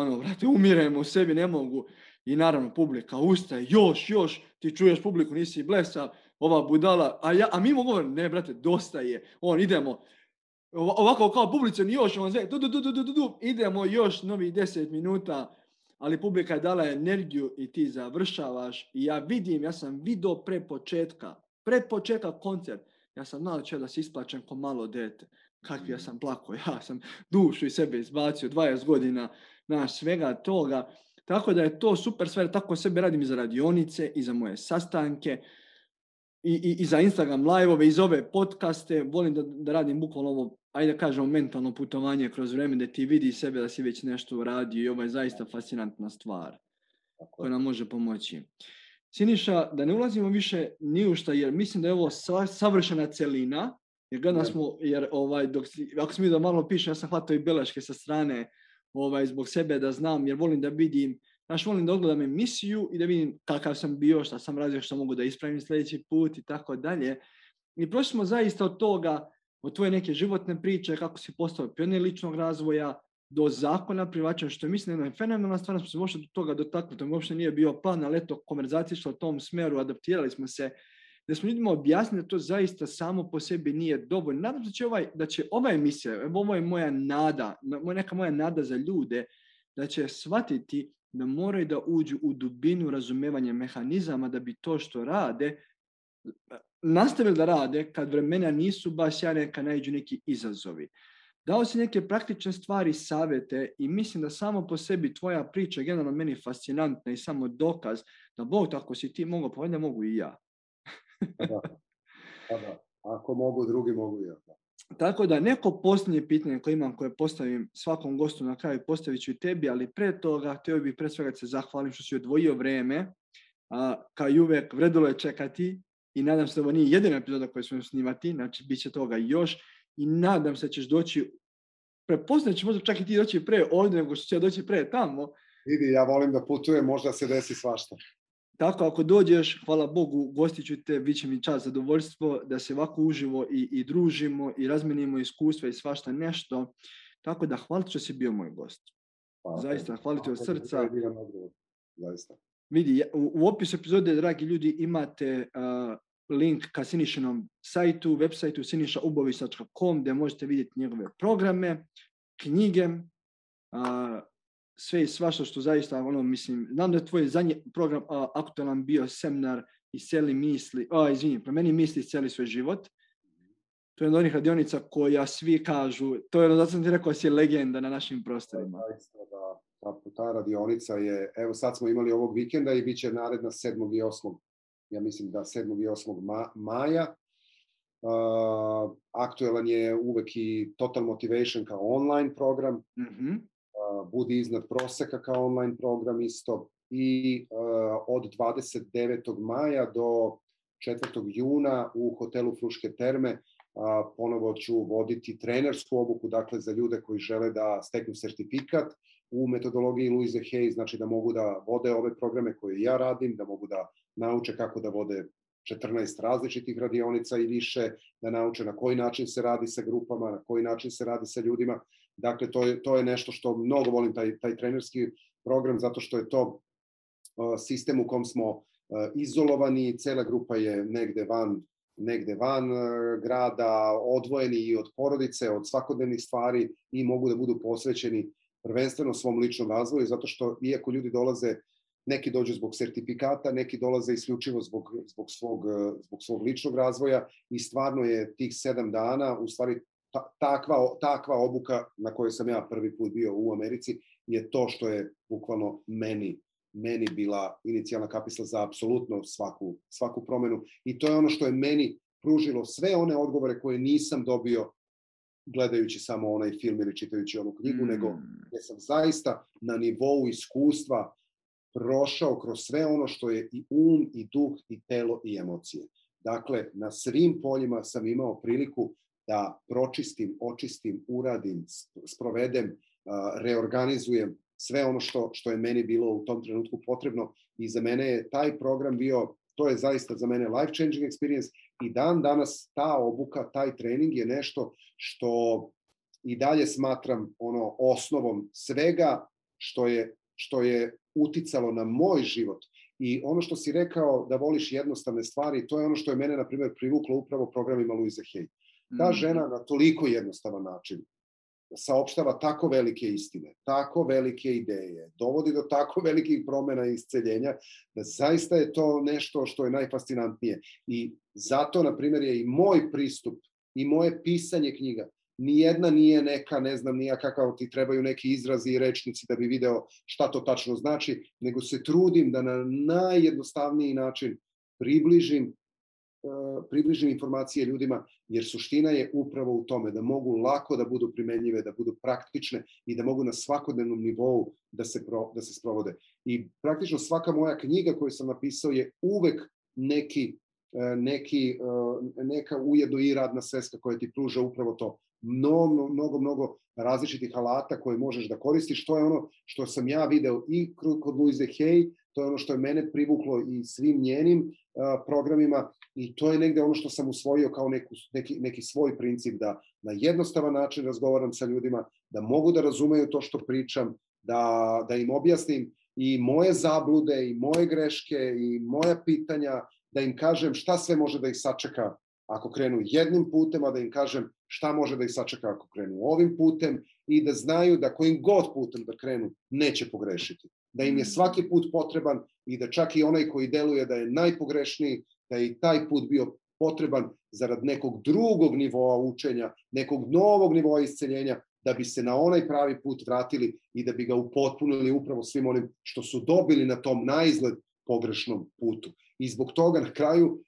umirem u sebi, ne mogu. I naravno, publika ustaje, još, ti čuješ publiku, nisi blesav, ova budala, a mi mu govorim, ne, brate, dosta je, idemo, ovako kao publica, još, idemo još novih 10 minuta, ali publika je dala energiju i ti završavaš. I ja sam vidio pre početka koncert, ja sam znao da se isplačem ko malo dete. Kakvi ja sam plako, ja sam dušu iz sebe izbacio, 20 godina, svega toga. Tako da je to super sve, tako sebe radim i za radionice, i za moje sastanke, i za Instagram live-ove, i za ove podcaste. Volim da radim bukvalno ovo, ajde da kažemo, mentalno putovanje kroz vreme, da ti vidi sebe da si već nešto uradio i ovo je zaista fascinantna stvar koja nam može pomoći. Siniša, da ne ulazimo više ni u šta, jer mislim da je ovo savršena celina, jer ako smo da malo pišem, ja sam hvatao i beleške sa strane zbog sebe da znam, jer volim da vidim, volim da odgledam emisiju i da vidim kakav sam bio, šta sam radio, što mogu da ispravim sljedeći put i tako dalje. I prošli smo zaista od toga, od tvoje neke životne priče, kako si postao pionir ličnog razvoja, do zakona privlačenja, što je mislim jedna fenomenalna stvar, smo se možda do toga dotakli, to uopšte nije bio plan, ali eto, konverzacija išla u tom smeru, adaptirali smo se, da smo ljudima objasnili da to zaista samo po sebi nije dovoljno. Nadam se da će ova emisija, ovo je moja nada, neka moja nada za ljude, da će shvatiti da moraju da uđu u dubinu razumevanja mehanizama da bi to što rade, nastavili da rade kad vremena nisu baš sjajne, kad naiđu neki izazovi. Dao si neke praktične stvari, savjete i mislim da samo po sebi tvoja priča je generalno meni fascinantna i samo dokaz da Bog, tako si ti mogao, pa valjda mogu i ja. Da. Ako mogu, drugi mogu i ja. Tako da neko posljednje pitanje koje imam, koje postavim svakom gostu na kraju, postavit ću i tebi, ali pre toga htio bih pre svega se zahvalim što si odvojio vreme. Kao i uvek, vredilo je čekati i nadam se da ovo nije jedina epizoda koju ćemo snimati, znači bit će toga još i nadam se da ćeš doći, prepoznat ću možda čak i ti doći pre ovdje nego što će doći pre tamo. Vidi, ja volim da putujem, možda se desi svašta. Tako, ako dođeš, hvala Bogu, gostit ću te, bit će mi čast, zadovoljstvo da se ovako uživo i družimo i razmenimo iskustva i svašta nešto. Tako da, hvala što si bio moj gost. Zaista, hvala ti od srca. Zaista. Vidi, u opisu epizode, dragi ljudi, imate link ka Sinišinom sajtu, web sajtu sinišaubović.com gdje možete vidjeti njegove programe, knjige, sve i svašta što zaista, mislim, znam da je tvoj zadnji program aktualan bio seminar Isceli misli, promeni misli, isceli svoj život. To je jedna od onih radionica koja svi kažu, to je zato sam ti rekao da si legenda na našim prostorima. Ta radionica je, evo sad smo imali ovog vikenda i bit će naredna 7. i 8. Ja mislim da 7. i 8. maja. Aktualan je uvek i Total Motivation kao online program. Budi iznad proseka kao online program isto. I od 29. maja do 4. juna u hotelu Fruške terme ponovo ću voditi trenersku obuku, dakle za ljude koji žele da steknu sertifikat u metodologiji Louise Hay, znači da mogu da vode ove programe koje ja radim, da mogu da nauče kako da vode 14 različitih radionica i više, da nauče na koji način se radi sa grupama, na koji način se radi sa ljudima. Dakle, to je nešto što mnogo volim, taj trenerski program, zato što je to sistem u kom smo izolovani, cela grupa je negde van grada, odvojeni i od porodice, od svakodnevnih stvari i mogu da budu posvećeni prvenstveno svom ličnom razvoju, zato što iako ljudi dolaze, neki dođu zbog sertifikata, neki dolaze isključivo zbog svog ličnog razvoja i stvarno je tih 7 dana, u stvari takva obuka na kojoj sam ja prvi put bio u Americi, je to što je bukvalno meni bila inicijalna kapisla za apsolutno svaku promenu. I to je ono što je meni pružilo sve one odgovore koje nisam dobio gledajući samo onaj film ili čitajući onu knjigu, nego gdje sam zaista na nivou iskustva prošao kroz sve ono što je i i duh, i telo, i emocije. Dakle, na svim poljima sam imao priliku da pročistim, očistim, uradim, sprovedem, reorganizujem sve ono što je meni bilo u tom trenutku potrebno i za mene je taj program bio, to je zaista za mene life changing experience i dan danas ta obuka, taj trening je nešto što i dalje smatram osnovom svega što je uticalo na moj život. I ono što si rekao da voliš jednostavne stvari, to je ono što je mene, na primjer, privuklo upravo programima Louise Hay. Ta žena na toliko jednostavan način saopštava tako velike istine, tako velike ideje, dovodi do tako velikih promjena i isceljenja, da zaista je to nešto što je najfascinantnije. I zato, na primjer, je i moj pristup i moje pisanje knjiga, nijedna nije neka, ne znam, nija kakav ti trebaju neki izrazi i rečnici da bi video šta to tačno znači, nego se trudim da na najjednostavniji način približim informacije ljudima, jer suština je upravo u tome da mogu lako da budu primenjive, da budu praktične i da mogu na svakodnevnom nivou da se sprovode. I praktično svaka moja knjiga koju sam napisao je uvek neka ujedno i radna sveska koja ti pruža upravo to. Mnogo različitih alata koje možeš da koristiš. To je ono što sam ja video i kod Louise Hay, to je ono što je mene privuklo i svim njenim programima i to je negde ono što sam usvojio kao neki svoj princip, da na jednostavan način razgovaram sa ljudima, da mogu da razumeju to što pričam, da im objasnim i moje zablude i moje greške i moja pitanja, da im kažem šta sve može da ih sačeka ako krenu jednim putem, a da im kažem šta može da ih sačeka ako krenu ovim putem i da znaju da kojim god putem da krenu neće pogrešiti. Da im je svaki put potreban i da čak i onaj koji deluje da je najpogrešniji, da je i taj put bio potreban zarad nekog drugog nivoa učenja, nekog novog nivoa isceljenja, da bi se na onaj pravi put vratili i da bi ga upotpunili upravo svim onim što su dobili na tom naizgled pogrešnom putu. I zbog toga na kraju,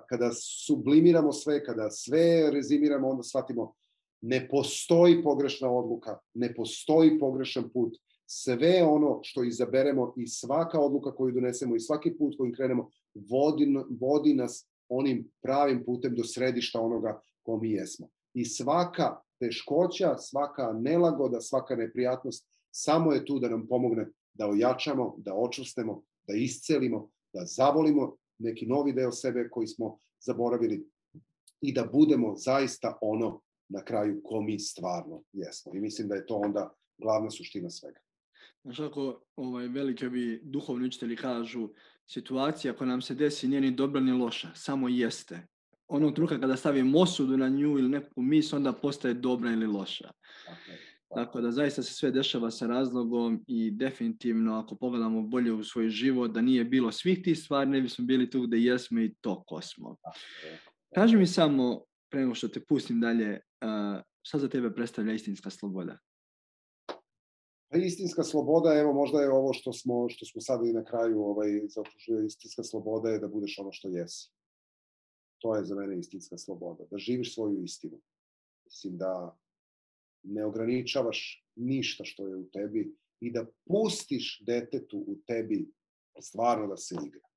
kada sublimiramo sve, kada sve rezimiramo, onda shvatimo ne postoji pogrešna odluka, ne postoji pogrešan put. Sve ono što izaberemo i svaka odluka koju donesemo i svaki put kojim krenemo vodi nas onim pravim putem do središta onoga ko mi jesmo. I svaka teškoća, svaka nelagoda, svaka neprijatnost samo je tu da nam pomogne da ojačamo, da očvrstemo, da iscelimo, da zavolimo neki novi deo sebe koji smo zaboravili i da budemo zaista ono na kraju ko mi stvarno jesmo. I mislim da je to onda glavna suština svega. Znaš, ako veliki ovi duhovni učitelji kažu, situacija koja nam se desi nije ni dobra ni loša, samo jeste. Onog trenutka kada stavimo osudu na nju ili neku misl, onda postaje dobra ili loša. Tako da zaista se sve dešava sa razlogom i definitivno ako pogledamo bolje u svoj život, da nije bilo svih tih stvari, ne bismo bili tu gde jesmo i to ko smo. Kaži mi samo, pre nego što te pustim dalje, šta za tebe predstavlja istinska sloboda? Istinska sloboda, evo možda je ovo što smo sad i na kraju zaokružili, istinska sloboda je da budeš ono što jesi. To je za mene istinska sloboda, da živiš svoju istinu. Mislim da ne ograničavaš ništa što je u tebi i da pustiš detetu u tebi stvarno da se igra.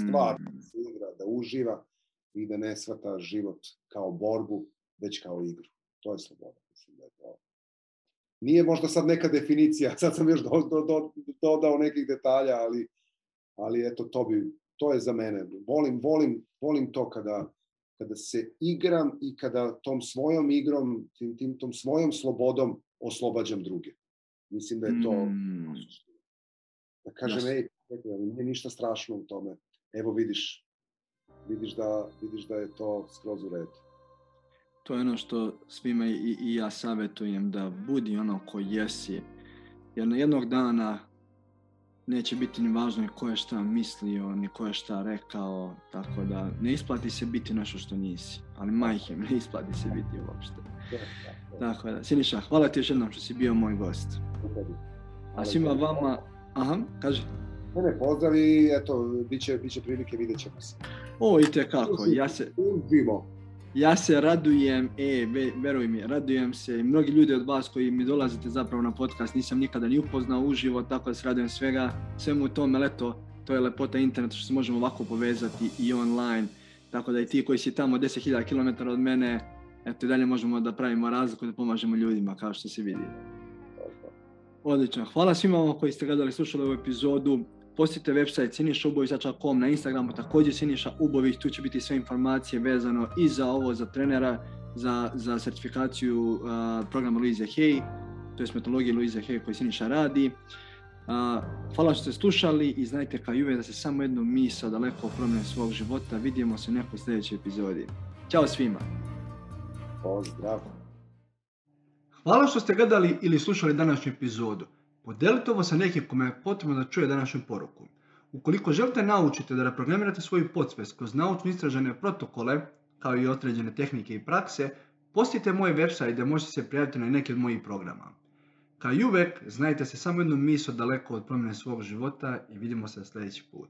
Stvarno da se igra, da uživa i da ne shvata život kao borbu, već kao igru. To je sloboda. Mislim da je to. Nije možda sad neka definicija, sad sam još dodao nekih detalja, ali eto, to je za mene. Volim to kada se igram i kada tom svojom igrom, tom svojom slobodom oslobađam druge. Mislim da je to suština. Da kažem, nije ništa strašno u tome. Evo vidiš da je to skroz u redu. To je ono što svima i ja savjetujem, da budi ono ko jesi. Jer na jednog dana neće biti ni važno ni ko je šta mislio, ni ko je šta rekao. Tako da ne isplati se biti nešto što nisi. Ali majhem, ne isplati se biti uopšte. Tako da, Siniša, hvala ti još jednom što si bio moj gost. A svima vama... Aha, kaži. Mene pozdrav i eto, bit će prilike, vidjet ćemo se. O, itekako, ja se radujem, veruj mi, radujem se. Mnogi ljudi od vas koji mi dolazite zapravo na podcast nisam nikada ni upoznao uživo, tako da se radujem svemu u tome, leto, to je lepota interneta što se možemo ovako povezati i online, tako da i ti koji si tamo 10.000 km od mene, eto i dalje možemo da pravimo razliku, da pomažemo ljudima, kao što se vidi. Odlično, hvala svima vama koji ste gledali, slušali ovu epizodu. Posjetite website sinišaubović.com, na Instagramu također Siniša Ubović, tu će biti sve informacije vezano i za ovo, za trenera, za certifikaciju programa Louise Hay, to je metodologija Louise Hay koju Siniša radi. Hvala što ste slušali i znajte kao i uvijek da se samo jednu misao daleko promene svog života. Vidimo se u nekoj sljedećoj epizodi. Ćao svima! Pozdrav! Hvala što ste gledali ili slušali današnju epizodu. Podelite ovo sa nekim kome je potrebno da čuje današnju poruku. Ukoliko želite naučiti da reprogramirate svoju podsvest kroz naučno istražene protokole, kao i određene tehnike i prakse, posjetite moj website gdje možete se prijaviti na neki od mojih programa. Kao i uvek, znajte se samo jednu misao daleko od promjene svog života i vidimo se sljedeći put.